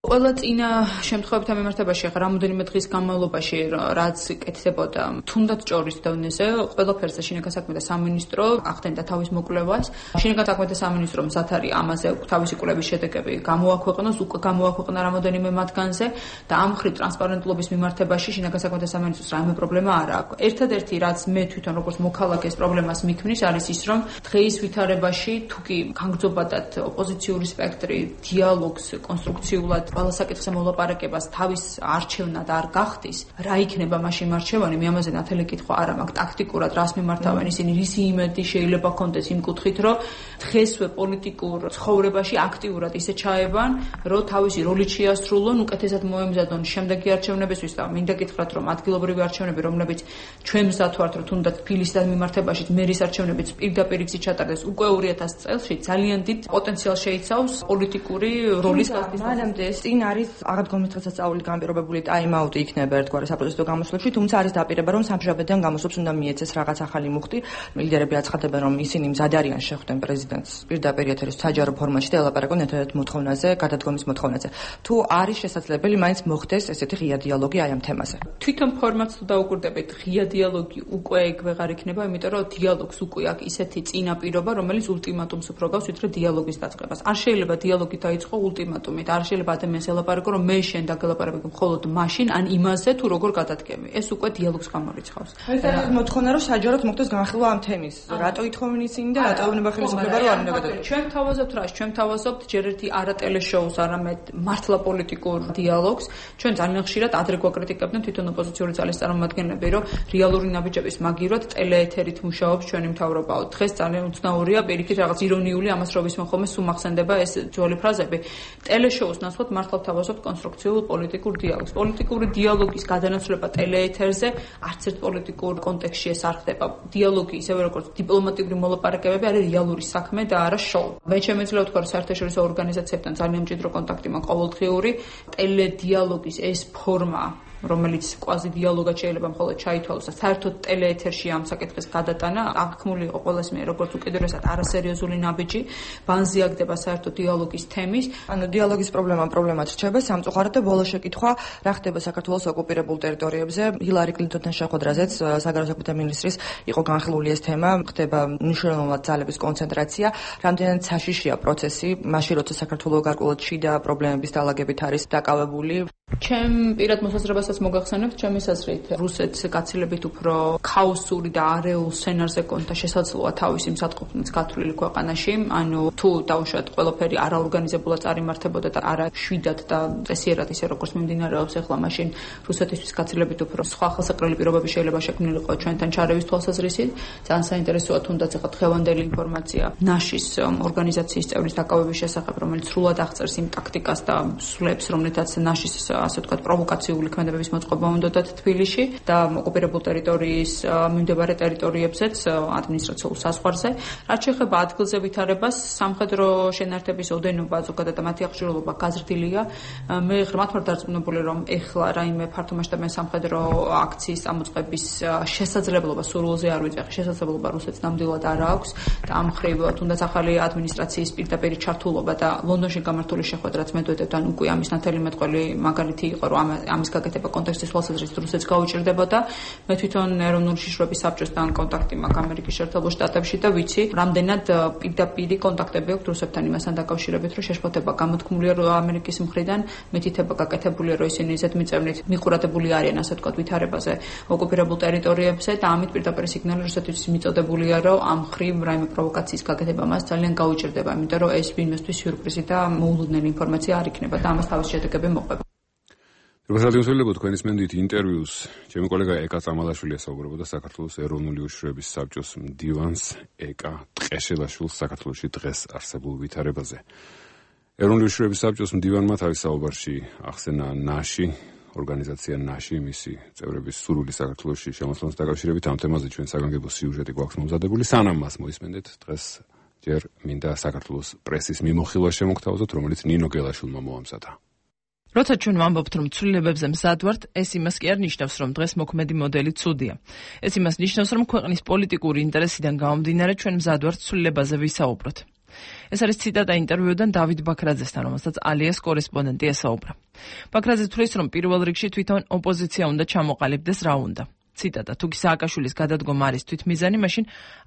ყველა წინა შემთხვევებთან მიმართებაში ახლა რამოდენიმე დღის განმავლობაში რაც კეთდებოდა თუნდაც ჭორის დონეზე ყველაფერზე შინაგან საქმეთა სამინისტრო ახდენდა თავის მოკვლევას. შინაგან საქმეთა სამინისტრო მზად არის ამაზე თავისი კვლევის შედეგები გამოაქვეყნოს, უკვე გამოაქვეყნა რამოდენიმე მათგანზე და ამ მხრივ ტრანსპარენტულობის მიმართებაში შინაგან საქმეთა სამინისტროს რაიმე პრობლემა არ აქვს. ერთადერთი რაც მე თვითონ როგორც მოქალაქეს პრობლემას მიქმნის არის ის, რომ დღეის ვითარებაში თუკი განგრძობადად ოპოზიციური სპექტრი დიალოგს კონსტრუქციულად ყველა საკითხზე მოლაპარაკებას თავის არჩევნად არ გახდის, რა იქნება მაშინ არჩევანი? მე ამაზე ნათელი კითხვა არ მაქვს. ტაქტიკურად რას მიმართავენ ისინი, რისი იმედი შეიძლება კონდეს იმ კუთხით, რომ დღესვე პოლიტიკურ ცხოვრებაში აქტიურად ისე ჩაებან, რომ თავისი როლით შეასრულონ, უკეთესად მოემზადონ შემდეგი არჩევნებისთვის და მინდა გითხრათ, რომ ადგილობრივი არჩევნები, რომლებიც ჩვენ მზად ვართ, რომ თუნდაც თბილისთან მიმართებაში მერის არჩევნებიც პირდაპირ იქ ჩატარდეს უკვე ორი ათასი წელს, ძალიან დიდ პოტენციალს შეიცავს პოლიტიკური როლის გასწავლას. წინ არის აღდგომის დღესასწაული განპირობებული ტაიმაუტი იქნება ერთგვარი საპროტესტო გამოსვლებში, თუმცა არის დაპირება, რომ სამშაბათიდან გამოსვლებს უნდა მიეცეს რაღაც ახალი მუხტი. ლიდერები აცხადებენ, რომ ისინი მზად არიან შეხვდნენ პრეზიდენტს პირდაპირ ეთერის საჯარო ფორმატში და ელაპარაკონ ერთადერთ მოთხოვნაზე, გადადგომის მოთხოვნაზე. თუ არის შესაძლებელი, მაინც მოხდეს ესეთი ღია დიალოგი აი ამ თემაზე. თვითონ ფორმატს თუ დაუკვირდებით, ღია დიალოგი უკვე ეგ ვეღარ იქნება, იმიტომ რომ დიალოგს უკვე აქვს ისეთი წინაპირობა, რომელიც ულტიმატუმს უფრო გავს, ვიდრე დიალოგის დაწყებას. არ შეიძლება დიალოგი დაიწყო ულტიმატუმით, არ შეიძლება ადამიანს ელაპარაკო, რომ მე შენ დაგელაპარაკე მხოლოდ მაშინ, ან იმაზე თუ როგორ გადადგემი. ეს უკვე დიალოგს გამორიცხავს. ეს არის მოთხოვნა, რომ საჯაროდ მოხდეს განხილვა ამ თემის. რატო ითხოვენ ისინი და რატო ეუბნება ხელისუფლება რომ არ უნდა გადადგეს? ჩვენ თავაზობთ რა, ჩვენ თავაზობთ ჯერ ერთი არა ტელეშოუს, არამედ მართლა პოლიტიკურ დიალოგს. ჩვენ ძალიან ხშირად ადრე გვაკრიტიკებდნენ თვითონ ოპოზიციური ძალის წარმომადგენლები, რომ რეალური ნაბიჯების მაგივრად ტელეეთერით მუშაობს ჩვენი მთავრობაო. დღეს ძალიან უცნაურია, პირიქით რაღაც ირონიული ამას რო ვისმენ ხოლმე სულ მახსენდება ეს ძველი ფრაზები. ტელეშოუს ნაცვლად მართლა თავაზობთ კონსტრუქციულ პოლიტიკურ დიალოგს. პოლიტიკური დიალოგის გადანაცვლება ტელეეთერზე არც ერთ პოლიტიკურ კონტექსტში ეს არ ხდება. დიალოგი, ისევე როგორც დიპლომატიური მოლაპარაკებები, არის რეალური საქმე და არა შოუ. მე შემეძლია ვთქვა, რომ საერთაშორისო ორგანიზაციებთან ძალიან მჭიდრო კონტაქტი მაქვს ყოველდღიური. ტელედიალოგის ეს ფორმა, რომელიც კვაზი დიალოგად შეიძლება მხოლოდ ჩაითვალოს და საერთოდ ტელეეთერში ამ საკითხის გადატანა აღქმული იყო ყოველს მე როგორც უკიდურესად არასერიოზული ნაბიჯი, ბანზიაგდება საერთოდ დიალოგის თემის. ანუ დიალოგის პრობლემა პრობლემად რჩება სამწუხაროდ და ბოლო შეკითხვა რა ხდება საქართველოს ოკუპირებულ ტერიტორიებზე. ჰილარი კლინტონთან შეხვედრაზეც საგარეო საქმეთა მინისტრის იყო განხილული ეს თემა, ხდება მნიშვნელოვნად ძალების კონცენტრაცია, რამდენად საშიშია პროცესი, მაშინ როცა საქართველოს გარკვეულად შიდა პრობლემების დაალაგებით არის დაკავებული. ჩემ პირად მოსაზრებასაც მოგახსენებთ, ჩემი აზრით, რუსეთს გაცილებით უფრო ქაოსური და არეულ სცენარზე კონდა შესაძლოა თავისი მსატყოფნით გათვლილი ქვეყანაში, ანუ თუ დაუშვათ ყველაფერი არაორგანიზებულად წარიმართებოდა და არა შვიდად და წესიერად ისე როგორც მიმდინარეობს ახლა, მაშინ რუსეთისთვის გაცილებით უფრო სხვა ხელსაყრელი პირობები შეიძლება შექმნილიყო ჩვენთან ჩარევის თვალსაზრისით. ძალიან საინტერესოა თუნდაც ახლა დღევანდელი ინფორმაცია ნაშის ორგანიზაციის წევრის დაკავების შესახებ, რომელიც სრულად აღწერს იმ ტაქტიკას და სვლებს, რომლითაც ნაშის ასე ვთქვათ, პროვოკაციული ქმედებების მოწყობა უნდათ თბილისში და ოკუპირებულ ტერიტორიის მიმდებარე ტერიტორიებზეც ადმინისტრაციულ საზღვარზე. რაც შეეხება ადგილზე ვითარებას, სამხედრო შენაერთების ოდენობა, ზოგადად მათი აღჭურვილობა გაზრდილია. მე ღრმად ვარ დარწმუნებული, რომ ეხლა რაიმე ფართომასშტაბიანი სამხედრო აქციის წამოწყების შესაძლებლობა სურვილზე არ ვიძახი, შესაძლებლობა რუსეთს ნამდვილად არ აქვს და ამ მხრივ თუნდაც ახალი ადმინისტრაციის პირდაპირ ჩართულობა და ლონდონში გამართული შეხვედრაც მედვედევთან უკვე ამის ნათელი მეტყველი მაგალითი იყო, რომ ამის გაკეთება კონტექსტის თვალსაზრისით რუსეთს გაუჭირდებოდა. მე თვითონ ეროვნული შიშროების საბჭოსთან კონტაქტი მაქვს ამერიკის შეერთებულ შტატებში და ვიცი, რამდენად პირდაპირი კონტაქტები აქვს რუსებთან იმასთან დაკავშირებით, რომ შეშფოთება გამოთქმულია ამერიკის მხრიდან, მითითება გაკეთებულია, რომ ისინი ზედმიწევნით მიყურადებული არიან, ასე ვთქვათ, ვითარებაზე ოკუპირებულ ტერიტორიებზე და ამით პირდაპირ სიგნალი რუსეთთვის მიწოდებულია, რომ ამ მხრივ რაიმე პროვოკაციის გაკეთება მას ძალიან გაუჭირდება, იმიტომ რომ ეს ვინმესთვის სიურპრიზი და მოულოდნელი ინფორმაცია არ იქნება და ამას თავისი შედეგები მოყვება. რუსეთიოსელებო თქვენის მენდით ინტერვიუს ჩემი კოლეგა ეკა წამალაშვილი ესაუბრებოდა საქართველოს ეროვნული უშიშროების საბჭოს მდივანს ეკა ტყეშელაშვილს საქართველოში დღეს არსებულ ვითარებაზე. ეროვნული უშიშროების საბჭოს მდივანმა თავის საუბარში ახსენა ნაში, ორგანიზაცია ნაში, მისი წევრების სურვილი საქართველოში შემოსვლას დაკავშირებით ამ თემაზე ჩვენ საგანგებო სიუჟეტი გვაქვს მომზადებული. სანამ მას მოისმენდეთ, დღეს ჯერ მინდა საქართველოს პრესის მიმოხილვა შემოგთავაზოთ, რომელიც ნინო გელაშვილმა მოამზადა. როცა ჩვენ ვამბობთ, რომ ცვლილებებზე მზად ვართ, ეს იმას კი არ ნიშნავს, რომ დღეს მოქმედი მოდელი ცუდია. ეს იმას ნიშნავს, რომ ქვეყნის პოლიტიკური ინტერესიდან გამომდინარე ჩვენ მზად ვართ ცვლილებაზე ვისაუბროთ. ეს არის ციტატა ინტერვიუდან დავით ბაქრაძესთან, რომელსაც ალიას კორესპონდენტი ესაუბრა. ბაქრაძე თვლის, რომ პირველ რიგში თვითონ ოპოზიცია უნდა ჩამოყალიბდეს რა უნდა. ციტატა: თუკი სააკაშვილის გადადგომა არის თვითმიზანი, მაშინ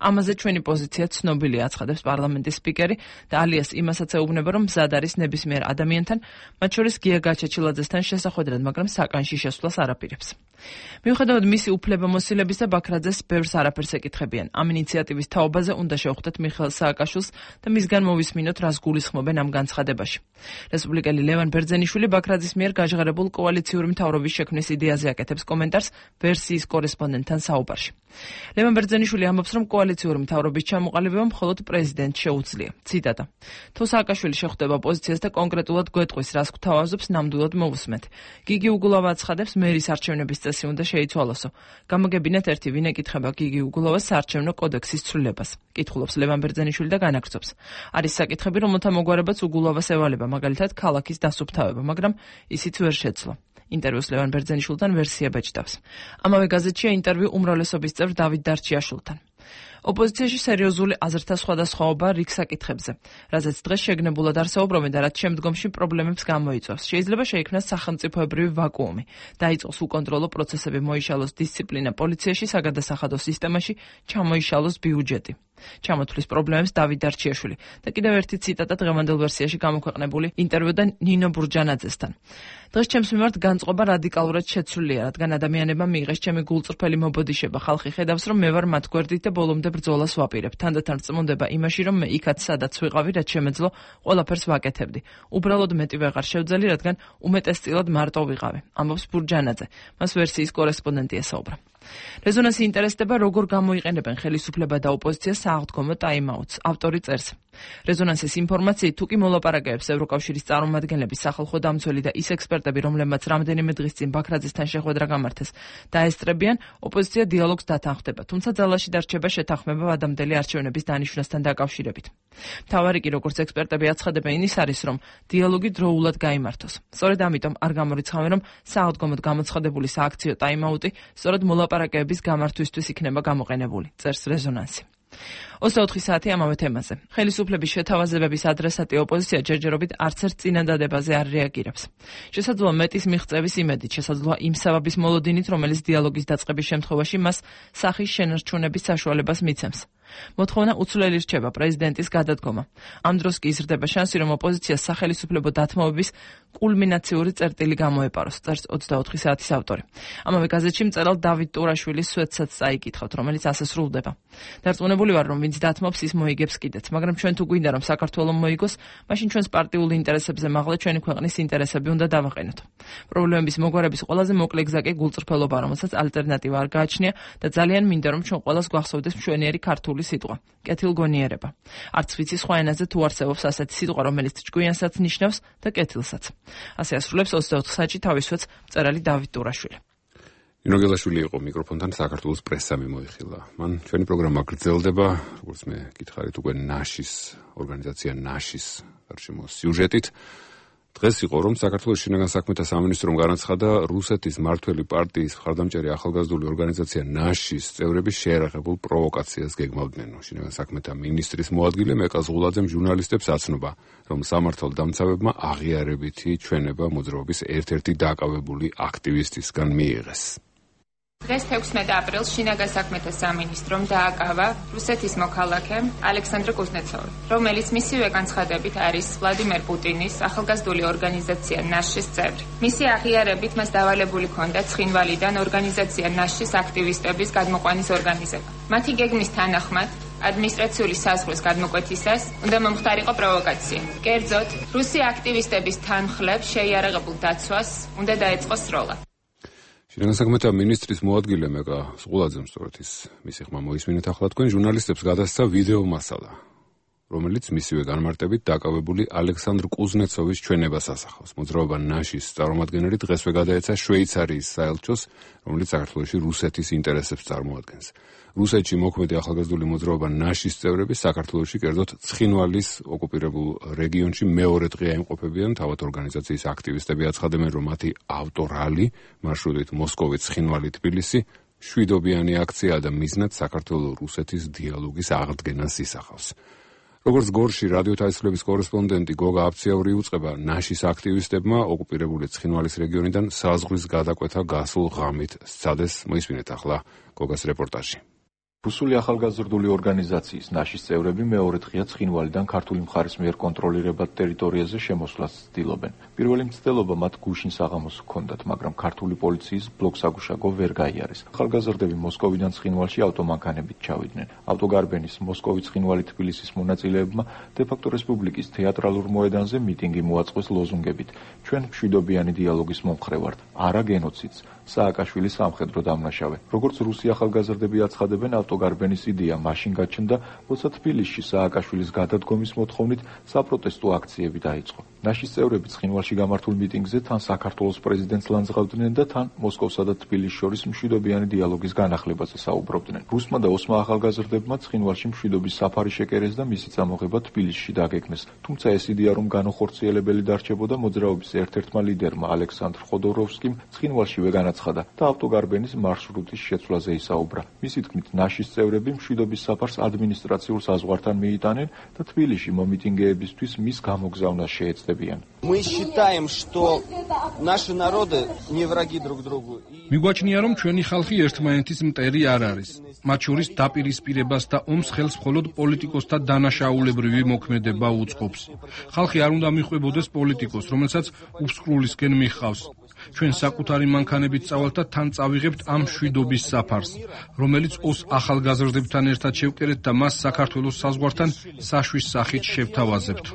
ამაზე ჩვენი პოზიცია ცნობილია, აცხადებს პარლამენტის სპიკერი და ალიას იმასაც ეუბნება, რომ მზად არის ნებისმიერ ადამიანთან, მათ შორის გია გაჩაჩილაძესთან შესახვედრად, მაგრამ საკანში შესვლას არაპირებს. მიუხედავად მისი უფლებამოსილების და ბაქრაძეს ბევრს არაფერს ეკითხებიან. ამ ინიციატივის თაობაზე უნდა შევხვდეთ მიხეილ სააკაშვილს და მისგან მოვისმინოთ, რას გულისხმობენ ამ განცხადებაში. რესპუბლიკელი ლევან ბერძენიშვილი ბაქრაძის მიერ გაჟღერებულ კოალიციური მთავრობის შექმნის იდეაზე აკეთებს კომენტარს ვერსიის კორესპონდენტთან საუბარში. ლევან ბერძენიშვილი ამბობს, რომ კოალიციური მთავრობის ჩამოყალიბება მხოლოდ პრეზიდენტს შეუძლია. ციტატა: თუ სააკაშვილი შეხვდება პოზიციას და კონკრეტულად გვეტყვის, რას გვთავაზობს, ნამდვილად მოვუსმენთ. გიგი უგულავა აცხადებს, მერის არჩევნების წესი უნდა შეიცვალოსო. გამოგებინეთ ერთი, ვინ ეკითხება გიგი უგულავას საარჩევნო კოდექსის ცვლილებას. კითხულობს ლევან ბერძენიშვილი და განაგრძობს. არის საკითხები, რომელთა მოგვარებაც უგულავას ევალება, მაგალითად ქალაქის დასუფთავება, მაგრამ ისიც ვერ შეძლო. ინტერვიუს ლევან ბერძენიშვილთან ვერსია ბეჭდავს. ამავე გაზეთშია ინტერვიუ უმრავლესობის წევრ დავით დარჩიაშვილთან. ოპოზიციაში სერიოზული აზრთა სხვადასხვაობა რიგ საკითხებზე, რაზეც დღეს შეგნებულად არსაუბრობენ და რაც შემდგომში პრობლემებს გამოიწვევს. შეიძლება შეიქმნას სახელმწიფოებრივი ვაკუუმი, დაიწყოს უკონტროლო პროცესები, მოიშალოს დისციპლინა პოლიციაში, საგადასახადო სისტემაში, ჩამოიშალოს ბიუჯეტი. ჩამოთვლის პრობლემებს დავით დარჩიაშვილი და კიდევ ერთი ციტატა დღევანდელ ვერსიაში გამოქვეყნებული ინტერვიუდან ნინო ბურჯანაძესთან. დღეს ჩემს მიმართ განწყობა რადიკალურად შეცვლილია, რადგან ადამიანებმა მიიღეს ჩემი გულწრფელი მობოდიშება. ხალხი ხედავს, რომ მე ვარ მათ გვერდით და ბოლომდე ბრძოლას ვაპირებ. თანდათან რწმუნდება იმაში, რომ მე იქაც სადაც ვიყავი, რაც შემეძლო, ყველაფერს ვაკეთებდი. უბრალოდ მეტი ვეღარ შევძელი, რადგან უმეტესწილად მარტო ვიყავი. ამბობს ბურჯანაძე. მას ვერსიის კორესპონდენტი ესაუბრა. რეზონანსი ინტერესდება, როგორ გამოიყენებენ ხელისუფლება და ოპოზიცია სააღდგომო ტაიმაუტს. ავტორი წერს. რეზონანსის ინფორმაციით, თუ კი მოლაპარაკებებს ევროკავშირის წარმომადგენლების, სახალხო დამცველი და ის ექსპერტები, რომლებმაც რამდენიმე დღის წინ ბაქრაძესთან შეხვედრა გამართეს, დაესწრებიან, ოპოზიცია დიალოგს დათანხმდება, თუმცა ძალაში დარჩება შეთანხმება ვადამდელი არჩევნების დანიშვნასთან დაკავშირებით. მთავარი კი, როგორც ექსპერტები აცხადებენ, ის არის, რომ დიალოგი დროულად გაიმართოს. სწორედ ამიტომ არ გამორიცხავენ, რომ სააღდგომოდ გამოცხადებული სააქციო ტაიმაუტი სწორედ მოლაპარაკებების გამართვისთვის იქნება გამოყენებული, წერს რეზონანსი. ოცდაოთხი საათი ამავე თემაზე. ხელისუფლების შეთავაზებების ადრესატი ოპოზიცია ჯერჯერობით არც ერთ წინადადებაზე არ რეაგირებს. შესაძლოა მეტის მიღწევის იმედით, შესაძლოა იმ საბაბის მოლოდინით, რომელიც დიალოგის დაწყების შემთხვევაში მას სახის შენარჩუნების საშუალებას მიცემს. მოთხოვნა უცვლელი რჩება პრეზიდენტის გადადგომა. ამ დროს კი იზრდება შანსი, რომ ოპოზიციას სახელისუფლებო დათმობების კულმინაციური წერტილი გამოეპაროს, წერს ოცდაოთხი საათის ავტორი. ამავე გაზეთში მწერალ დავით ტურაშვილის სვეტსაც წაიკითხავთ, რომელიც ასე სრულდება. დარწმუნებული ვარ, რომ ვინც დათმობს, ის მოიგებს კიდეც, მაგრამ ჩვენ თუ გვინდა, რომ საქართველო მოიგოს, მაშინ ჩვენს პარტიულ ინტერესებზე მაღლა ჩვენი ქვეყნის ინტერესები უნდა დავაყენოთ. პრობლემების მოგვარების ყველაზე მოკლე გზა კი გულწრფელობა, რომელსაც ალტერნატივა არ გააჩნია და ძალიან მინდა, რომ ჩვენ ყველას გვახსოვდეს მშვენიერი ქართული სიტყვა, კეთილგონიერება. არც ვიცი სხვა ენაზე თუ არსებობს ასეთი სიტყვა, რომელიც ჭკვიანსაც ნიშნავს და კეთილსაც. ასე ასრულებს ოცდაოთხ საათში თავის სვეტს მწერალი დავით ტურაშვილი. ნინო გელაშვილი იყო მიკროფონთან, საქართველოს პრესა მიმოიხილა. მან ჩვენი პროგრამა გრძელდება, როგორც მე გითხარით, უკვე ნაშის ორგანიზაცია ნაშის გარშემო სიუჟეტით. დღეს იყო, რომ საქართველოს შინაგან საქმეთა სამინისტრომ განაცხადა, რუსეთის მმართველი პარტიის მხარდამჭერი ახალგაზრდული ორგანიზაცია ნაშის წევრები შეერაღებულ პროვოკაციას გეგმავდნენ. შინაგან საქმეთა მინისტრის მოადგილე მეკა ზღულაძემ ჟურნალისტებს აცნობა, რომ სამართალ დამცავებმა აღიარებითი ჩვენება მოძრაობის ერთ-ერთი დაკავებული აქტივისტისგან მიიღეს. დღეს თექვსმეტ აპრილს შინაგან საქმეთა სამინისტრომ დააკავა რუსეთის მოქალაქე ალექსანდრე კუზნეცოვი, რომელიც მისივე განცხადებით არის ვლადიმერ პუტინის ახალგაზრდული ორგანიზაცია ნაშის წევრი. მისი აღიარებით მას დავალებული ჰქონდა ცხინვალიდან ორგანიზაცია ნაშის აქტივისტების გადმოყვანის ორგანიზება. მათი გეგმის თანახმად ადმინისტრაციული საზღვრის გადმოკვეთისას უნდა მომხდარიყო პროვოკაცია. კერძოდ, რუსი აქტივისტების თანხლებს შეიარაღებულ დაცვას უნდა დაეწყოს სროლა. შინაგან საქმეთა მინისტრის მოადგილე მეკა ზღულაძემ სწორედ ის მისი ხმა მოისმინეთ ახლა თქვენ ჟურნალისტებს გადასცა ვიდეო მასალა, რომელიც მისივე განმარტებით დაკავებული ალექსანდრ კუზნეცოვის ჩვენებას ასახავს. მოძრაობა ნაშის წარმომადგენელი დღესვე გადაეცა შვეიცარიის საელჩოს, რომელიც საქართველოში რუსეთის ინტერესებს წარმოადგენს. რუსეთში მოქმედი ახალგაზრდული მოძრაობა ნაშის წევრები საქართველოში, კერძოდ ცხინვალის ოკუპირებულ რეგიონში მეორე დღეა იმყოფებიან. თავად ორგანიზაციის აქტივისტები აცხადებენ, რომ მათი ავტორალი მარშრუტით მოსკოვი, ცხინვალი, თბილისი შვიდობიანი აქცია და მიზნად საქართველო-რუსეთის დიალოგის აღდგენას ისახავს. როგორც გორში რადიო თავისუფლების კორესპონდენტი გოგა აფციაური უწყება, ნაშის აქტივისტებმა ოკუპირებული ცხინვალის რეგიონიდან საზღვრის გადაკვეთა გასულ ღამით სცადეს. მოისმინეთ ახლა გოგას რეპორტაჟი. რუსული ახალგაზრდული ორგანიზაციის ნაშის წევრები მეორე დღეა ცხინვალიდან ქართული მხარის მიერ კონტროლირებად ტერიტორიაზე შემოსვლას ცდილობენ. პირველი მცდელობა მათ გუშინ საღამოს ჰქონდათ, მაგრამ ქართული პოლიციის ბლოკსაგუშაგო ვერ გაიარეს. ახალგაზრდები მოსკოვიდან ცხინვალში ავტომანქანებით ჩავიდნენ. ავტოგარბენის მოსკოვი, ცხინვალი, თბილისის მონაწილეებმა დე-ფაქტო რესპუბლიკის თეატრალურ მოედანზე მიტინგი მოაწყვეს ლოზუნგებით: ჩვენ მშვიდობიანი დიალოგის მომხრე ვართ, არა გენოციდს. სააკაშვილის სამხედრო დამნაშავე. როგორც რუსი ახალგაზრდები აცხადებენ, ავტოგარბენის იდეა მაშინ გაჩნდა, როცა თბილისში სააკაშვილის გადადგომის მოთხოვნით საპროტესტო აქციები დაიწყო. ნაშის წევრები ცხინვალში გამართულ მიტინგზე თან საქართველოს პრეზიდენტს ლანძღავდნენ და თან მოსკოვსა და თბილისის შორის მშვიდობიანი დიალოგის განახლებაზე საუბრობდნენ. რუსმა და ოსმა ახალგაზრდებმა ცხინვალში მშვიდობის საფარი შეკერეს და მისი წამოღება თბილისში დაგეგმეს. თუმცა ეს იდეა რომ განუხორციელებელი დარჩებოდა, მოძრაობის ერთ-ერთმა ლიდერმა ალექსანდრ ხოდოროვსკიმ ცხინვალშივე განაცხადა და ავტოგარბენის მარშრუტის შეცვლაზე ისაუბრა. მისი თქმით, ნაშის წევრები მშვიდობის საფარს ადმინისტრაციულ საზღვართან მიიტანენ და თბილისში მომიტინგეებისთვის მის გამოგზავნას შეეცდებიან. Мы считаем, что наши народы не враги друг другу. მიგვაჩნია, რომ ჩვენი ხალხი ერთმანეთის მტერი არ არის. მათ შორის დაპირისპირებას და ომს ხელს მხოლოდ პოლიტიკოსთა დანაშაულებრივი მოქმედება უწყობს. ხალხი არ უნდა მიხვებოდეს პოლიტიკოს, რომელსაც უსკრულისკენ მიჰყავს. ჩვენ საკუთარი მანქანებით წავალთ და თან წავიღებთ ამ მშვიდობის საფარს, რომელიც ოს ახალგაზრდებთან ერთად შევკერეთ და მას საქართველოს საზღვართან საშვის სახით შევთავაზებთ.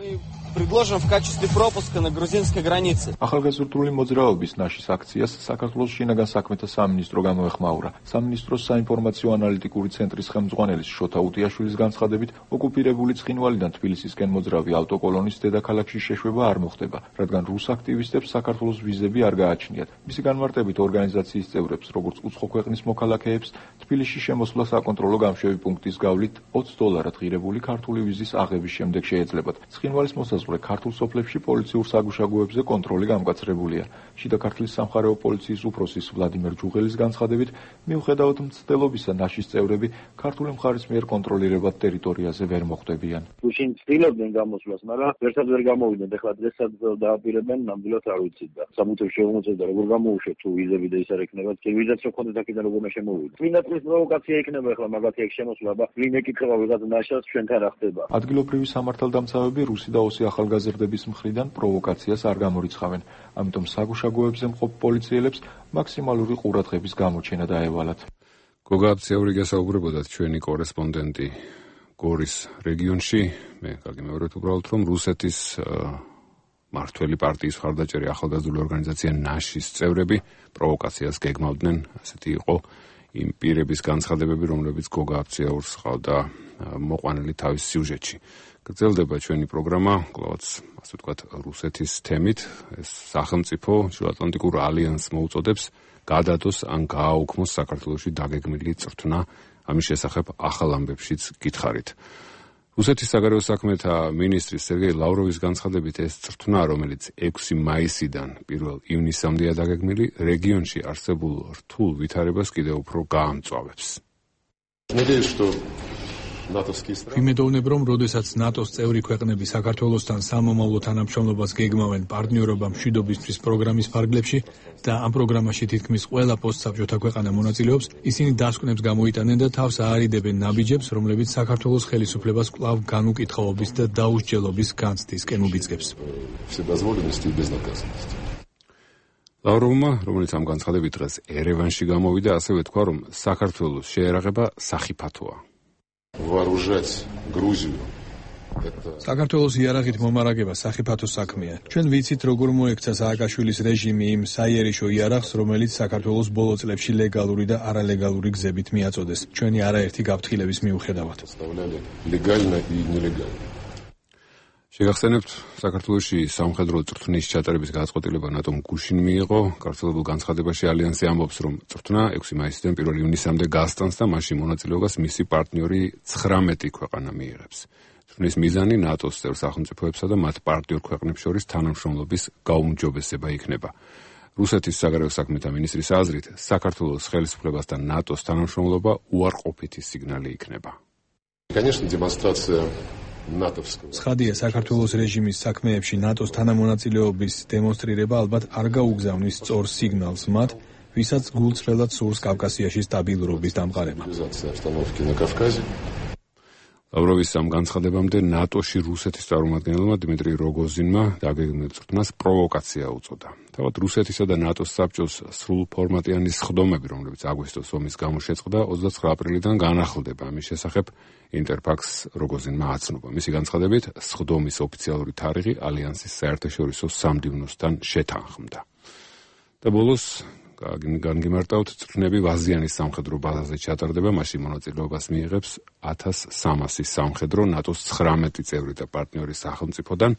Предложим в качестве пропуска на грузинской границе. ახალგაზრდული მოძრაობის ნაშის აქციას საქართველოს შინაგან საქმეთა სამინისტრო გამოეხმაურა. სამინისტროს საინფორმაციო ანალიტიკური ცენტრის ხელმძღვანელის შოთა უტიაშვილის განცხადებით, ოკუპირებული ცხინვალიდან თბილისისკენ მოძრავი ავტოკოლონის დედაქალაქში შეშვება არ მოხდება, რადგან რუს აქტივისტებს საქართველოს ვიზები არ გააჩნიათ. მისი განმარტებით ორგანიზაციის წევრებს, როგორც უცხო ქვეყნის მოქალაქეებს, თბილისში შემოსვლა საკონტროლო გამშვები პუნქტის გავლით ოცი დოლარად ღირებული ქართული ვიზის აღების შემდეგ შეეძლებათ. ცხინვალის მოსაზღვრე ქართულ სოფლებში პოლიციურ საგუშაგოებზე კონტროლი გამკაცრებულია. შიდა ქართლის სამხარეო პოლიციის უფროსის ვლადიმერ ჯუღელის განცხადებით, მიუხედავად მცდელობისა, ნაშის წევრები ქართული მხარის მიერ კონტროლირებად ტერიტორიაზე ვერ მოხვდებიან. გუშინ ცდილობდნენ გამოსვლას, მაგრამ ერთად ვერ გამოვიდნენ. ეხლა დღესაც დააპირებენ, ნამდვილად არ ვიცით და სამუთებს შევმოწევდა, როგორ გამოუშვეთ თუ ვიზები და ის არ ექნებათ. კი ვიზაც რო ხონდეთ აქედან როგორ შემოვიდეთ. წინა წლის პროვოკაცია იქნება ეხლა მაგათი ეგ შემოსვლა, აბა ვინ ეკითხება ვიღაც ნაშას ჩვენთან რა ხდება. ადგილობრივი სამართალდამცავები რუსი და ოსი ახალგაზრდების მხრიდან პროვოკაციას არ გამორიცხავენ. ამიტომ საგუშაგოებზე მყოფ პოლიციელებს მაქსიმალური ყურადღების გამოჩენა დაევალათ. გოგა აბციური გასაუბრებოდათ ჩვენი კორესპონდენტი გორის რეგიონში. მე კარგი მეუბნეთ უბრალოდ რომ რუსეთის მართველი პარტიის მხარდაჭერი ახალგაზრდული ორგანიზაცია ნაშის წევრები პროვოკაციას გეგმავდნენ. ასეთი იყო იმ პირების განცხადებები, რომლებიც გოგა აბციაურს ჰყავდა მოყვანილი თავის სიუჟეტში. გრძელდება ჩვენი პროგრამა, კლავაც, ასე ვთქვათ, რუსეთის თემით. ეს სახელმწიფო შუაატლანტიკურ ალიანსს მოუწოდებს გადადოს ან გააუქმოს საქართველოში დაგეგმილი წრთნა. ამის შესახებ ახალ ამბებშიც გითხარით. რუსეთის საგარეო საქმეთა მინისტრის სერგეი ლავროვის განცხადებით, ეს წრთნა, რომელიც ექვსი მაისიდან პირველ ივნისამდეა დაგეგმილი, რეგიონში არსებულ რთულ ვითარებას კიდევ უფრო გაამწვავებს. ვიმედოვნებ, რომ როდესაც ნატოს წევრი ქვეყნები საქართველოსთან სამომავლო თანამშრომლობას გეგმავენ პარტნიორობა მშვიდობისთვის პროგრამის ფარგლებში და ამ პროგრამაში თითქმის ყველა პოსტსაბჭოთა ქვეყანა მონაწილეობს, ისინი დასკვნებს გამოიტანენ და თავს აარიდებენ ნაბიჯებს, რომლებიც საქართველოს ხელისუფლებას კვლავ განუკითხაობის და დაუსჯელობის განცდისკენ უბიძგებს. ლავროვმა, რომელიც ამ განცხადებით დღეს ერევანში გამოვიდა, ასევე თქვა, რომ საქართველოს შეერაღება სახიფათოა. Вооружать Грузию. საქართველოს იარაღით მომარაგება სახიფათო საქმეა. ჩვენ ვიცით, როგორ მოექცა სააკაშვილის რეჟიმი იმ საიერიშო იარაღს, რომელიც საქართველოს ბოლო წლებში ლეგალური და არალეგალური გზებით მიაწოდეს. ჩვენი არაერთი გაფრთხილების მიუხედავად. შეგახსენებთ, საქართველოში სამხედრო წრთნის ჩატარების გადაწყვეტილება ნატომ გუშინ მიიღო. გავრცელებულ განცხადებაში ალიანსი ამბობს, რომ წრთნა ექვსი მაისიდან პირველ ივნისამდე გასტანს და მასში მონაწილეობას მისი პარტნიორი ცხრამეტი ქვეყანა მიიღებს. წრთნის მიზანი ნატოს წევრ სახელმწიფოებსა და მათ პარტნიორ ქვეყნებს შორის თანამშრომლობის გაუმჯობესება იქნება. რუსეთის საგარეო საქმეთა მინისტრის აზრით, საქართველოს ხელისუფლებასთან ნატოს თანამშრომლობა უარყოფითი სიგნალი იქნება. Конечно, демонстрация ცხადია, საქართველოს რეჟიმის საქმეებში ნატოს თანამონაწილეობის დემონსტრირება ალბათ არ გაუგზავნის სწორ სიგნალს მათ, ვისაც გულწრფელად სურს კავკასიაში სტაბილურობის დამყარება. ლავროვის ამ განცხადებამდე ნატოში რუსეთის წარმომადგენელმა დიმიტრი როგოზინმა დაგეგმილ წრთნას პროვოკაცია უწოდა. თავად რუსეთისა და ნატოს საბჭოს სრულფორმატიანი სხდომები, რომლებიც აგვისტოს ომის გამო შეწყდა, ოცდაცხრა აპრილიდან განახლდება. ამის შესახებ ინტერფაქს როგოზინმა აცნობა. მისი განცხადებით, სხდომის ოფიციალური თარიღი ალიანსის საერთაშორისო სამდივნოსთან შეთანხმდა. და ბოლოს განგიმარტავთ, წრთნები ვაზიანის სამხედრო ბაზაზე ჩატარდება, მასში მონაწილეობას მიიღებს ათას სამასი სამხედრო ნატოს ცხრამეტი წევრი და პარტნიორი სახელმწიფოდან.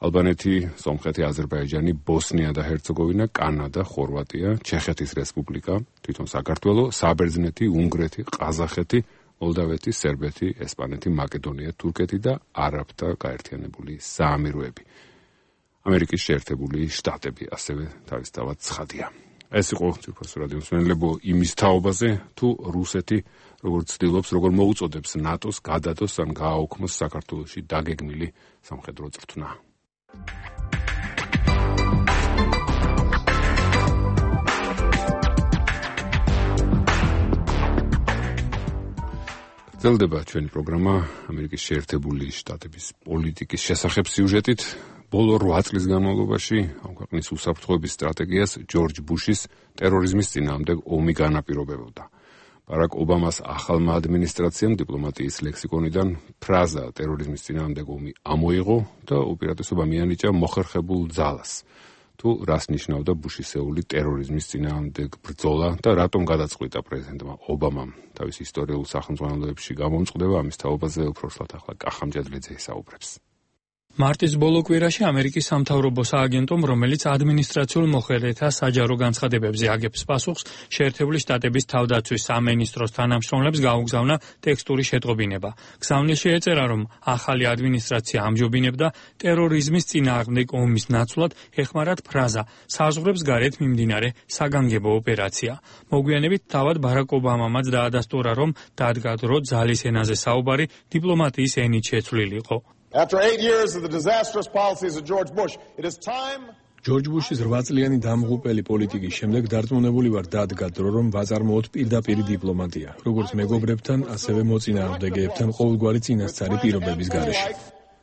ალბანეთი, სომხეთი, აზერბაიჯანი, ბოსნია და ჰერცეგოვინა, კანადა, ხორვატია, ჩეხეთის რესპუბლიკა, თვითონ საქართველო, საბერძნეთი, უნგრეთი, ყაზახეთი, მოლდავეთი, სერბეთი, ესპანეთი, მაკედონია, თურქეთი და არაბთა გაერთიანებული საამიროები. ამერიკის შეერთებული შტატები ასევე თავისთავად ცხადია. ეს იყო ციფროს რადიო მსმენელებო იმის თაობაზე, თუ რუსეთი როგორც ცდილობს, როგორ მოუწოდებს ნატოს გადადოს ან გააოქმოს საქართველოში დაგეგმილი სამხედრო წვრთნა. გრძელდება ჩვენი პროგრამა ამერიკის შეერთებული შტატების პოლიტიკის შესახებ სიუჟეტით. ბოლო რვა წლის განმავლობაში ამ ქვეყნის უსაფრთხოების სტრატეგიას ჯორჯ ბუშის ტერორიზმის წინააღმდეგ ომი განაპირობებოდა. ბარაკ ობამას ახალმა ადმინისტრაციამ დიპლომატიის ლექსიკონიდან ფრაზა ტერორიზმის წინააღმდეგ ომი ამოიღო და უპირატესობა მიანიჭა მოხერხებულ ძალას. თუ რას ნიშნავდა ბუშისეული ტერორიზმის წინააღმდეგ ბრძოლა და რატომ გადაწყვიტა პრეზიდენტმა ობამამ თავის ისტორიულ სახელმძღვანელოებში გამომწყდება, ამის თაობაზე უпроრსლად ახლა კახამჯადლიძე ისაუბრებს. მარტის ბოლო კვირაში ამერიკის სამთავრობო სააგენტომ, რომელიც ადმინისტრაციულ მოხელეთა საჯარო განცხადებებზე აგებს პასუხს, შეერთებული შტატების თავდაცვის სამინისტროს თანამშრომლებს გაუგზავნა ტექსტური შეტყობინება. გზავნილში ეწერა, რომ ახალი ადმინისტრაცია ამჯობინებდა ტერორიზმის წინააღმდეგ ომის ნაცვლად ეხმარათ ფრაზა საზღვრებს გარეთ მიმდინარე საგანგებო ოპერაცია. მოგვიანებით თავად ბარაკ ობამამაც დაადასტურა, რომ დადგა დრო ძალის ენაზე საუბარი დიპლომატიის ენით შეცვლილიყო. After eight years of the disastrous policies of George Bush, it is time ჯორჯ ბუშის რვაწლიანი დამღუპელი პოლიტიკის შემდეგ დარწმუნებული ვარ დადგა დრო, რომ ვაწარმოოთ პირდაპირი დიპლომატია, როგორც მეგობრებთან, ასევე მოწინააღმდეგეებთან ყოველგვარი წინასწარი პირობების გარეშე.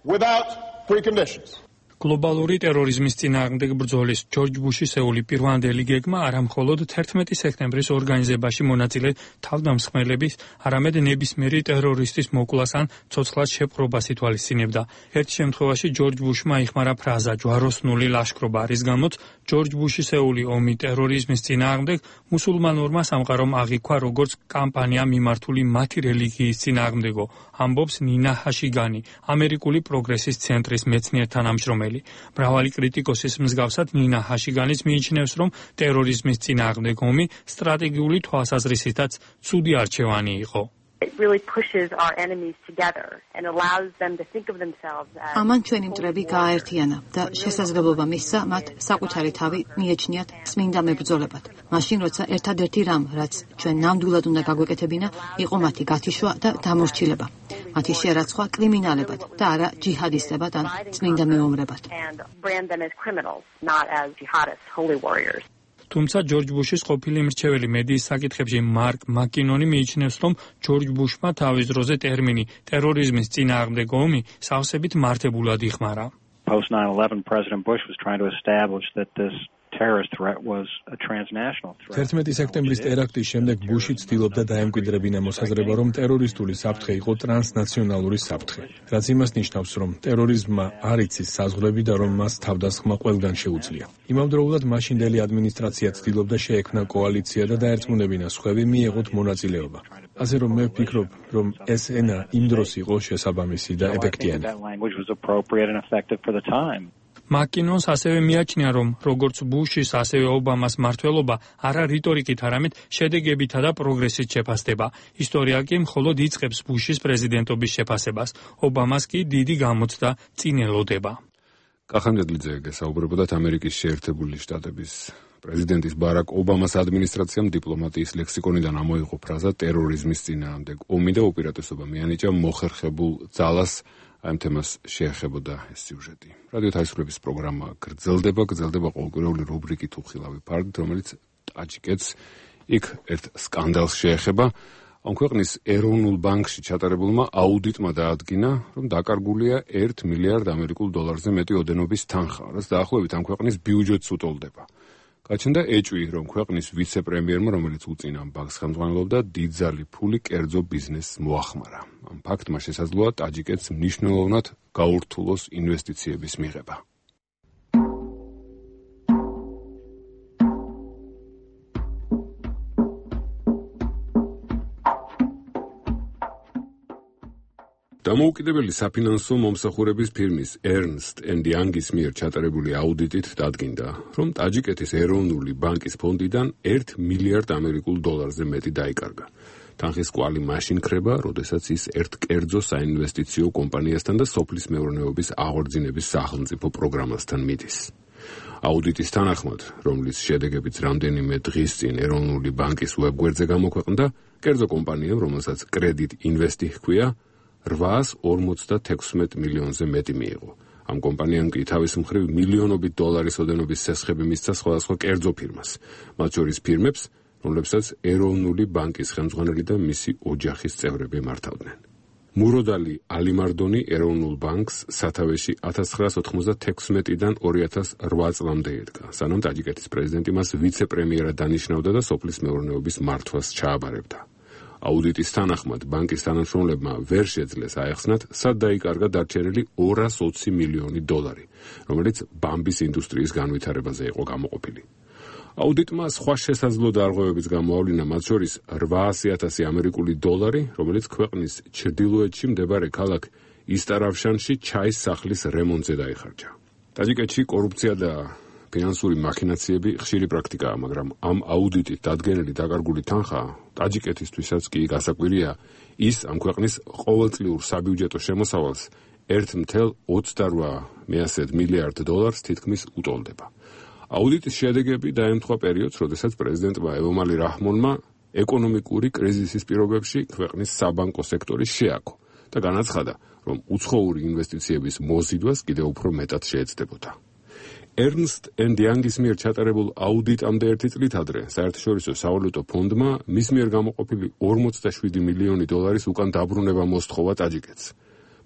Without preconditions. გლობალური ტერორიზმის წინააღმდეგ ბრძოლის ჯორჯ ბუშისეული პირვანდელი გეგმა არა მხოლოდ თერთმეტი სექტემბრის ორგანიზებაში მონაწილე თავდამსხმელების, არამედ ნებისმიერი ტერორისტის მოკვლას ან ცოცხლად შეპყრობას ითვალისწინებდა. ერთ შემთხვევაში ჯორჯ ბუშმა იხმარა ფრაზა ჯვაროსნული ლაშქრობა, რის გამოც ჯორჯ ბუშისეული ომი ტერორიზმის წინააღმდეგ მუსულმანურმა სამყარომ აღიქვა როგორც კამპანია მიმართული მათი რელიგიის წინააღმდეგო, ამბობს ნინა ჰაშიგანი, ამერიკული პროგრესის ცენტრის მეცნიერ თანამშრომელი. მრავალი კრიტიკოსის მსგავსად ნინა ჰაშიგანის მიიჩნევს, რომ ტერორიზმის წინააღმდეგ ომი სტრატეგიული თვალსაზრისითაც ცუდი არჩევანი იყო. ამან ჩვენი მტრები გააერთიანა და შესაძლებლობა მისცა მათ საკუთარი თავი მიეჩნიათ წმინდა მებრძოლებად. მაშინ, როცა ერთადერთი რამ, რაც ჩვენ ნამდვილად უნდა გაგვეკეთებინა, იყო მათი გათიშვა და დამორჩილება. მათი შერაცხვა კრიმინალებად და არა ჯიჰადისტებად ან წმინდა მეომრებად. თუმცა ჯორჯ ბუშის ყოფილი მრჩეველი მედიის საკითხებში მარკ მაკინონი მიიჩნევს, რომ ჯორჯ ბუშმა თავის დროზე ტერმინი ტერორიზმის წინააღმდეგ ომი სავსებით მართებულად იხმარა. Post nine eleven President Bush was trying to establish that this terrorist threat was a transnational threat. თერთმეტი სექტემბრის ტერაქტის შემდეგ ბუში ცდილობდა დაემკვიდრებინა მოსაზრება, რომ ტერორისტული საფრთხე იყო ტრანსნაციონალური საფრთხე, რაც იმას ნიშნავს, რომ ტერორიზმმა არ იცის საზღვრები და რომ მას თავდასხმა ყველგან შეუძლია. იმავდროულად მაშინდელი ადმინისტრაცია ცდილობდა შეექმნა კოალიცია და დაერწმუნებინა სხვები მიეღოთ მონაწილეობა. ასე რომ მე ვფიქრობ, რომ ეს ენა იმ დროს იყო შესაბამისი და ეფექტიანი. მაკინონს ასევე მიაჩნია, რომ როგორც ბუშის, ასევე ობამას მმართველობა არა რიტორიკით, არამედ შედეგებითა და პროგრესით შეფასდება. ისტორია კი მხოლოდ იწყებს ბუშის პრეზიდენტობის შეფასებას. ობამას კი დიდი გამოცდა წინ ელოდება. კახამჯადლიძე გესაუბრებოდათ ამერიკის შეერთებული შტატების პრეზიდენტის ბარაკ ობამას ადმინისტრაციამ დიპლომატიის ლექსიკონიდან ამოიღო ფრაზა ტერორიზმის წინააღმდეგ ომი და უპირატესობა მიანიჭა მოხერხებულ ძალას. ამ თემას შეეხებოდა ეს სიუჟეტი. რადიო თავისუფლების პროგრამა გრძელდება, გრძელდება ყოველკვირეული რუბრიკი თუ ხილავი ფარდით, რომელიც ტაჯიკეთს იქ ერთ სკანდალს შეეხება. ამ ქვეყნის ეროვნულ ბანკში ჩატარებულმა აუდიტმა დაადგინა, რომ დაკარგულია ერთ მილიარდ ამერიკულ დოლარზე მეტი ოდენობის თანხა, რაც დაახლოებით ამ ქვეყნის ბიუჯეტს უტოლდება. გაჩნდა ეჭვი, რომ ქვეყნის ვიცე-პრემიერმა, რომელიც უწინ ამ ბანკს ხელმძღვანელობდა, დიდძალი ფული კერძო ბიზნესს მოახმარა. ამ ფაქტმა შესაძლოა ტაჯიკეთს მნიშვნელოვნად გაურთულოს ინვესტიციების მიღება. დამოუკიდებელი საფინანსო მომსახურების ფირმის Ernst and Young-ის მიერ ჩატარებული აუდიტით დადგინდა, რომ ტაჯიკეთის ეროვნული ბანკის ფონდიდან ერთ მილიარდ ამერიკულ დოლარზე მეტი დაიკარგა. თანხის კვალი მაშინ ქრება, როდესაც ის ერთ კერძო საინვესტიციო კომპანიასთან და სოფლის მეურნეობის აღორძინების სახელმწიფო პროგრამასთან მიდის. აუდიტის თანახმად, რომლის შედეგებიც რამდენიმე დღის წინ ეროვნული ბანკის ვებგვერდზე გამოქვეყნდა, კერძო კომპანიამ, რომელსაც კრედიტ ინვესტი ჰქვია, რვაას ორმოცდათექვსმეტ მილიონზე მეტი მიიღო. ამ კომპანიამ კი თავის მხრივ მილიონობით დოლარის ოდენობის სესხები მისცა სხვადასხვა კერძო ფირმას, მათ შორის ფირმებს, რომლებსაც ეროვნული ბანკის ხელმძღვანელი და მისი ოჯახის წევრები მართავდნენ. მუროდალი ალიმარდონი ეროვნულ ბანკს სათავეში ათას ცხრაას ოთხმოცდათექვსმეტიდან ორი ათას რვა წლამდე ედგა, სანამ ტაჯიკეთის პრეზიდენტი მას ვიცე-პრემიერად დანიშნავდა და სოფლის მეურნეობის მართვას ჩააბარებდა. აუდიტის თანახმად, ბანკის თანამშრომლებმა ვერ შეძლეს აეხსნათ, სად დაიკარგა დარჩენილი ორას ოცი მილიონი დოლარი, რომელიც ბამბის ინდუსტრიის განვითარებაზე იყო გამოყოფილი. აუდიტმა სხვა შესაძლო დარღვევებიც გამოავლინა, მათ შორის რვაასი ათასი ამერიკული დოლარი, რომელიც ქვეყნის ჩრდილოეთში მდებარე ქალაქ ისტარავშანში ჩაის სახლის რემონტზე დაიხარჯა. ტაჯიკეთში კორუფცია და ფინანსური მახინაციები ხშირი პრაქტიკაა, მაგრამ ამ აუდიტით დადგენილი დაკარგული თანხა ტაჯიკეთისთვისაც კი გასაკვირია, ის ამ ქვეყნის ყოველწლიურ საბიუჯეტო შემოსავალს ერთ მთელ ოცდარვა მილიარდ დოლარს თითქმის უტოლდება. აუდიტის შედეგები დაემთხვა პერიოდს, როდესაც პრეზიდენტმა ევომალი რაჰმონმა ეკონომიკური კრიზისის პირობებში ქვეყნის საბანკო სექტორი შეაქო და განაცხადა, რომ უცხოური ინვესტიციების მოზიდვას კიდევ უფრო მეტად შეეცდებოდა. Ernst and Young-ის მიერ ჩატარებულ აუდიტამდე ერთი წლით ადრე, საერთაშორისო სავალუტო ფონდმა მის მიერ გამოყოფილი ორმოცდაშვიდი მილიონი დოლარის უკან დაბრუნება მოსთხოვა ტაჯიკეთს.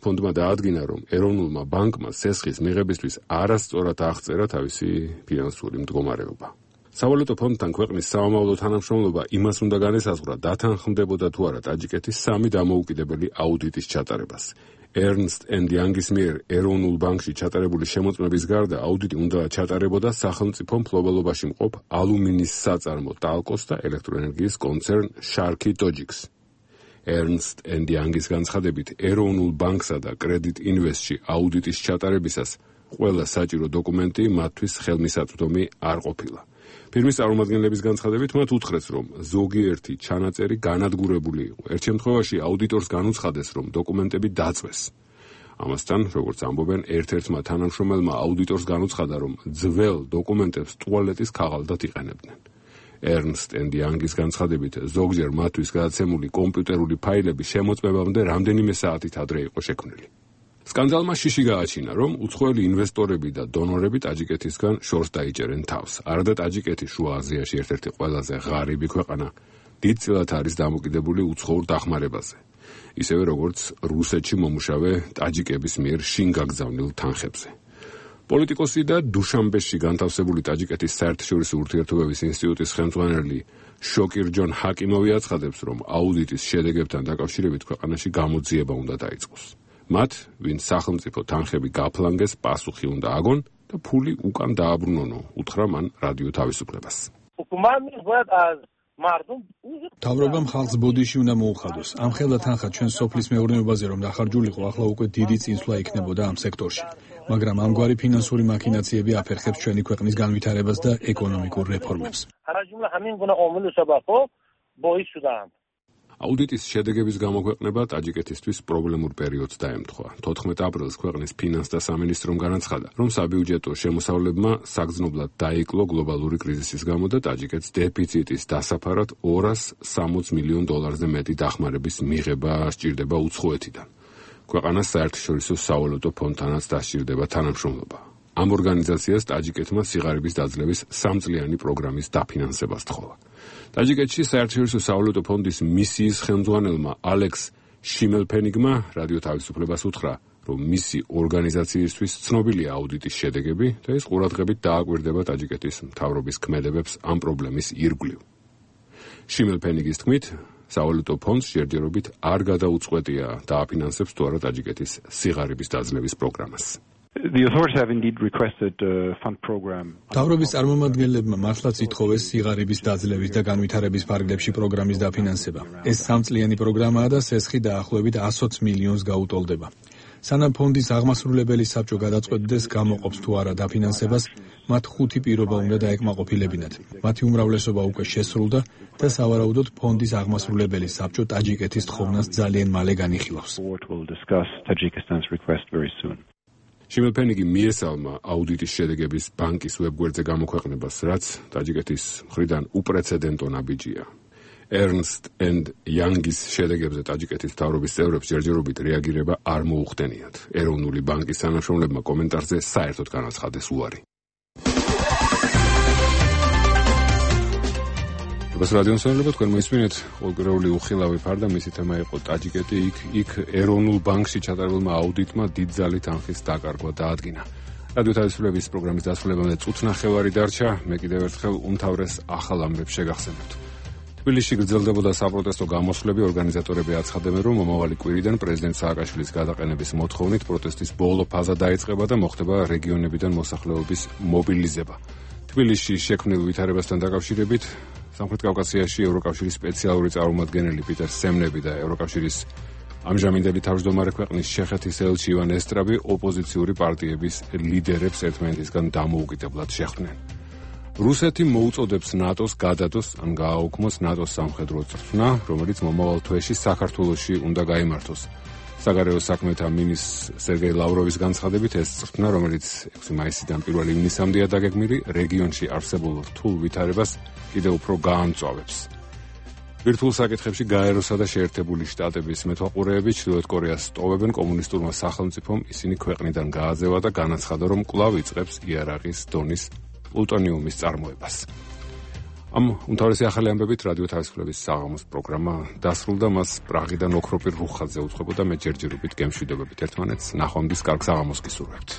ფონდმა დაადგინა, რომ ეროვნულმა ბანკმა სესხის მიღებისთვის არასწორად აღწერა თავისი ფინანსური მდგომარეობა. სავალუტო ფონდთან ქვეყნის სამომავლო თანამშრომლობა იმას უნდა განესაზღვრა, დათანხმდებოდა თუ არა ტაჯიკეთის სამი დამოუკიდებელი აუდიტის ჩატარებას. Ernst and Young-ის მიერ ეროვნულ ბანკში ჩატარებული შემოწმების გარდა აუდიტი უნდა ჩატარებოდა სახელმწიფო მფლობელობაში მყოფ ალუმინის საწარმო ტალკოს და ელექტროენერგიის კონცერნ Sharkey Togics. Ernst and Young-ის განცხადებით, ეროვნულ ბანკსა და კრედიტ ინვესტში აუდიტის ჩატარებისას ყველა საჭირო დოკუმენტი მათთვის ხელმისაწვდომი არ ყოფილა. ფირმის წარმომადგენლების განცხადებით მათ უთხრეს, რომ ზოგიერთი ჩანაწერი განადგურებული იყო. ერთ შემთხვევაში აუდიტორს განუცხადეს, რომ დოკუმენტები დაწვეს. ამასთან, როგორც ამბობენ, ერთ-ერთმა თანამშრომელმა აუდიტორს განუცხადა, რომ ძველ დოკუმენტებს ტუალეტის ქაღალდად იყენებდნენ. Ernst and Young-ის განცხადებით, ზოგჯერ მათთვის გადაცემული კომპიუტერული ფაილები შემოწმებამდე რამდენიმე საათით ადრე იყო შექმნილი. სკანდალმა შიში გააჩინა, რომ უცხოელი ინვესტორები და დონორები ტაჯიკეთისგან შორს დაიჭერენ თავს. არადა ტაჯიკეთი შუა აზიაში ერთ-ერთი ყველაზე ღარიბი ქვეყანა დიდწილად არის დამოკიდებული უცხოურ დახმარებაზე, ისევე როგორც რუსეთში მომუშავე ტაჯიკების მიერ შინ გაგზავნილ თანხებზე. პოლიტიკოსი და დუშანბეში განთავსებული ტაჯიკეთის საერთაშორისო ურთიერთობების ინსტიტუტის ხელმძღვანელი შოკირ ჯონ ჰაკიმოვი აცხადებს, რომ აუდიტის შედეგებთან დაკავშირებით ქვეყანაში გამოძიება უნდა დაიწყოს. მათ, ვინც სახელმწიფო თანხები გაფლანგეს, პასუხი უნდა აგონ და ფული უკან დააბრუნონო, უთხრა მან რადიო თავისუფლებას. მთავრობამ ხალხს ბოდიში უნდა მოუხადოს. ამ ხელა თანხა ჩვენ სოფლის მეურნეობაზე რომ დახარჯულიყო, ახლა უკვე დიდი წინსვლა იქნებოდა ამ სექტორში. მაგრამ ამგვარი ფინანსური მაქინაციები აფერხებს ჩვენი ქვეყნის განვითარებას და ეკონომიკურ რეფორმებს. აუდიტის შედეგების გამოქვეყნება ტაჯიკეთისთვის პრობლემურ პერიოდს დაემთხვა. თოთხმეტ აპრილს ქვეყნის ფინანსთა სამინისტრომ განაცხადა, რომ საბიუჯეტო შემოსავლებმა საგრძნობლად დაიკლო გლობალური კრიზისის გამო და ტაჯიკეთს დეფიციტის დასაფარად ორას სამოც მილიონ დოლარზე მეტი დახმარების მიღება სჭირდება უცხოეთიდან. ქვეყანას საერთაშორისო სავალუტო ფონდთანაც დასჭირდება თანამშრომლობა. ამ ორგანიზაციას ტაჯიკეთმა სიღარიბის დაძლევის სამწლიანი პროგრამის დაფინანსება სთხოვა. ტაჯიკეთში საერთაშორისო სავალუტო ფონდის მისიის ხელმძღვანელმა ალექს შიმელფენიგმა რადიო თავისუფლებას უთხრა, რომ მისი ორგანიზაციისთვის ცნობილია აუდიტის შედეგები და ის ყურადღებით დააკვირდება ტაჯიკეთის მთავრობის ქმედებებს ამ პრობლემის ირგვლივ. შიმელფენიგის თქმით, სავალუტო ფონდს ჯერჯერობით არ გადაუწყვეტია დააფინანსებს თუ არა ტაჯიკეთის სიღარიბის დაძლევის პროგრამას. The authorities have indeed requested a fund program. თავრობის წარმომადგენლებმა მართლაც ითხოვეს სიღარიბის დაძლევის და განვითარების ფარგლებში პროგრამის დაფინანსება. ეს სამწლიანი პროგრამაა და სესხი დაახლოებით ათი მილიონს გაუტოლდება. სანამ ფონდის აღმასრულებელი საბჭო გადაწყვეტდეს გამოყოფს თუ არა დაფინანსებას, მათ ხუთი პირობა უნდა დაეკმაყოფილებინათ. მათი უმრავლესობა უკვე შესრულდა და სავარაუდოდ ფონდის აღმასრულებელი საბჭო ტაჯიკეთის თხოვნას ძალიან მალე განიხილავს. შიმელფენიგი მიესალმა აუდიტის შედეგების ბანკის ვებგვერდზე გამოქვეყნებას, რაც ტაჯიკეთის მხრიდან უპრეცედენტო ნაბიჯია. Ernst and Young-ის შედეგებზე ტაჯიკეთის მთავრობის წევრებს ჯერჯერობით რეაგირება არ მოუხდენიათ. ეროვნული ბანკის თანამშრომლებმა კომენტარზე საერთოდ განაცხადეს უარი. ეს რადიო მსმენელები თქვენ მოისმინეთ ყოველკვირეული უხილავი ფარდა, მისი თემა იყო ტაჯიკეთი, იქ იქ ეროვნულ ბანკში ჩატარებულმა აუდიტმა დიდძალი თანხის დაკარგვა დაადგინა. რადიო თავისუფლების პროგრამის დასრულებამდე წუთნახევარი დარჩა, მე კიდევ ერთხელ უმთავრეს ახალ ამბებს შეგახსენებთ. თბილისში გრძელდებოდა საპროტესტო გამოსვლები, ორგანიზატორები აცხადებენ, რომ მომავალი კვირიდან პრეზიდენტ სააკაშვილის გადაყენების მოთხოვნით პროტესტის ბოლო ფაზა დაიწყება და მოხდება რეგიონებიდან მოსახლეობის მობილიზება. თბილისში შექმნილ ვითარებასთან დაკავშირებით სამხრეთ კავკასიაში ევროკავშირის სპეციალური წარმომადგენელი პიტერ სემნები და ევროკავშირის ამჟამინდელი თავმჯდომარე ქვეყნის ჩეხეთის ელჩი ივან ესტრაბი ოპოზიციური პარტიების ლიდერებს ერთმანეთისგან დამოუკიდებლად შეხვდნენ. რუსეთი მოუწოდებს ნატოს გადადოს ან გააუქმოს ნატოს სამხედრო წვრთნა, რომელიც მომავალ თვეში საქართველოში უნდა გაიმართოს. საგარეო საქმეთა მინისტრ სერგეი ლავროვის განცხადებით, ეს წვრთნა, რომელიც ექვსი მაისიდან პირველი ივნისამდეა დაგეგმილი, რეგიონში არსებულ რთულ ვითარებას კიდევ უფრო გაამწვავებს. ბირთვულ საკითხებში გაეროსა და შეერთებული შტატების მეთვალყურეები ჩრდილოეთ კორეას სტოვებენ კომუნისტურმა სახელმწიფომ ისინი ქვეყნიდან გააძევა და განაცხადა, რომ კვლავ იწყებს იარაღის დონის პლუტონიუმის წარმოებას. ამ უმთავრესი ახალი ამბებით რადიო თავისუფლების საღამოს პროგრამა დასრულდა, მას პრაღიდან ოქროპირ რუხაძე უძღვებოდა, მე ჯერჯერობით გემშვიდობებით ერთმანეთს, ნახვამდის კარგ საღამოს გისურვებთ.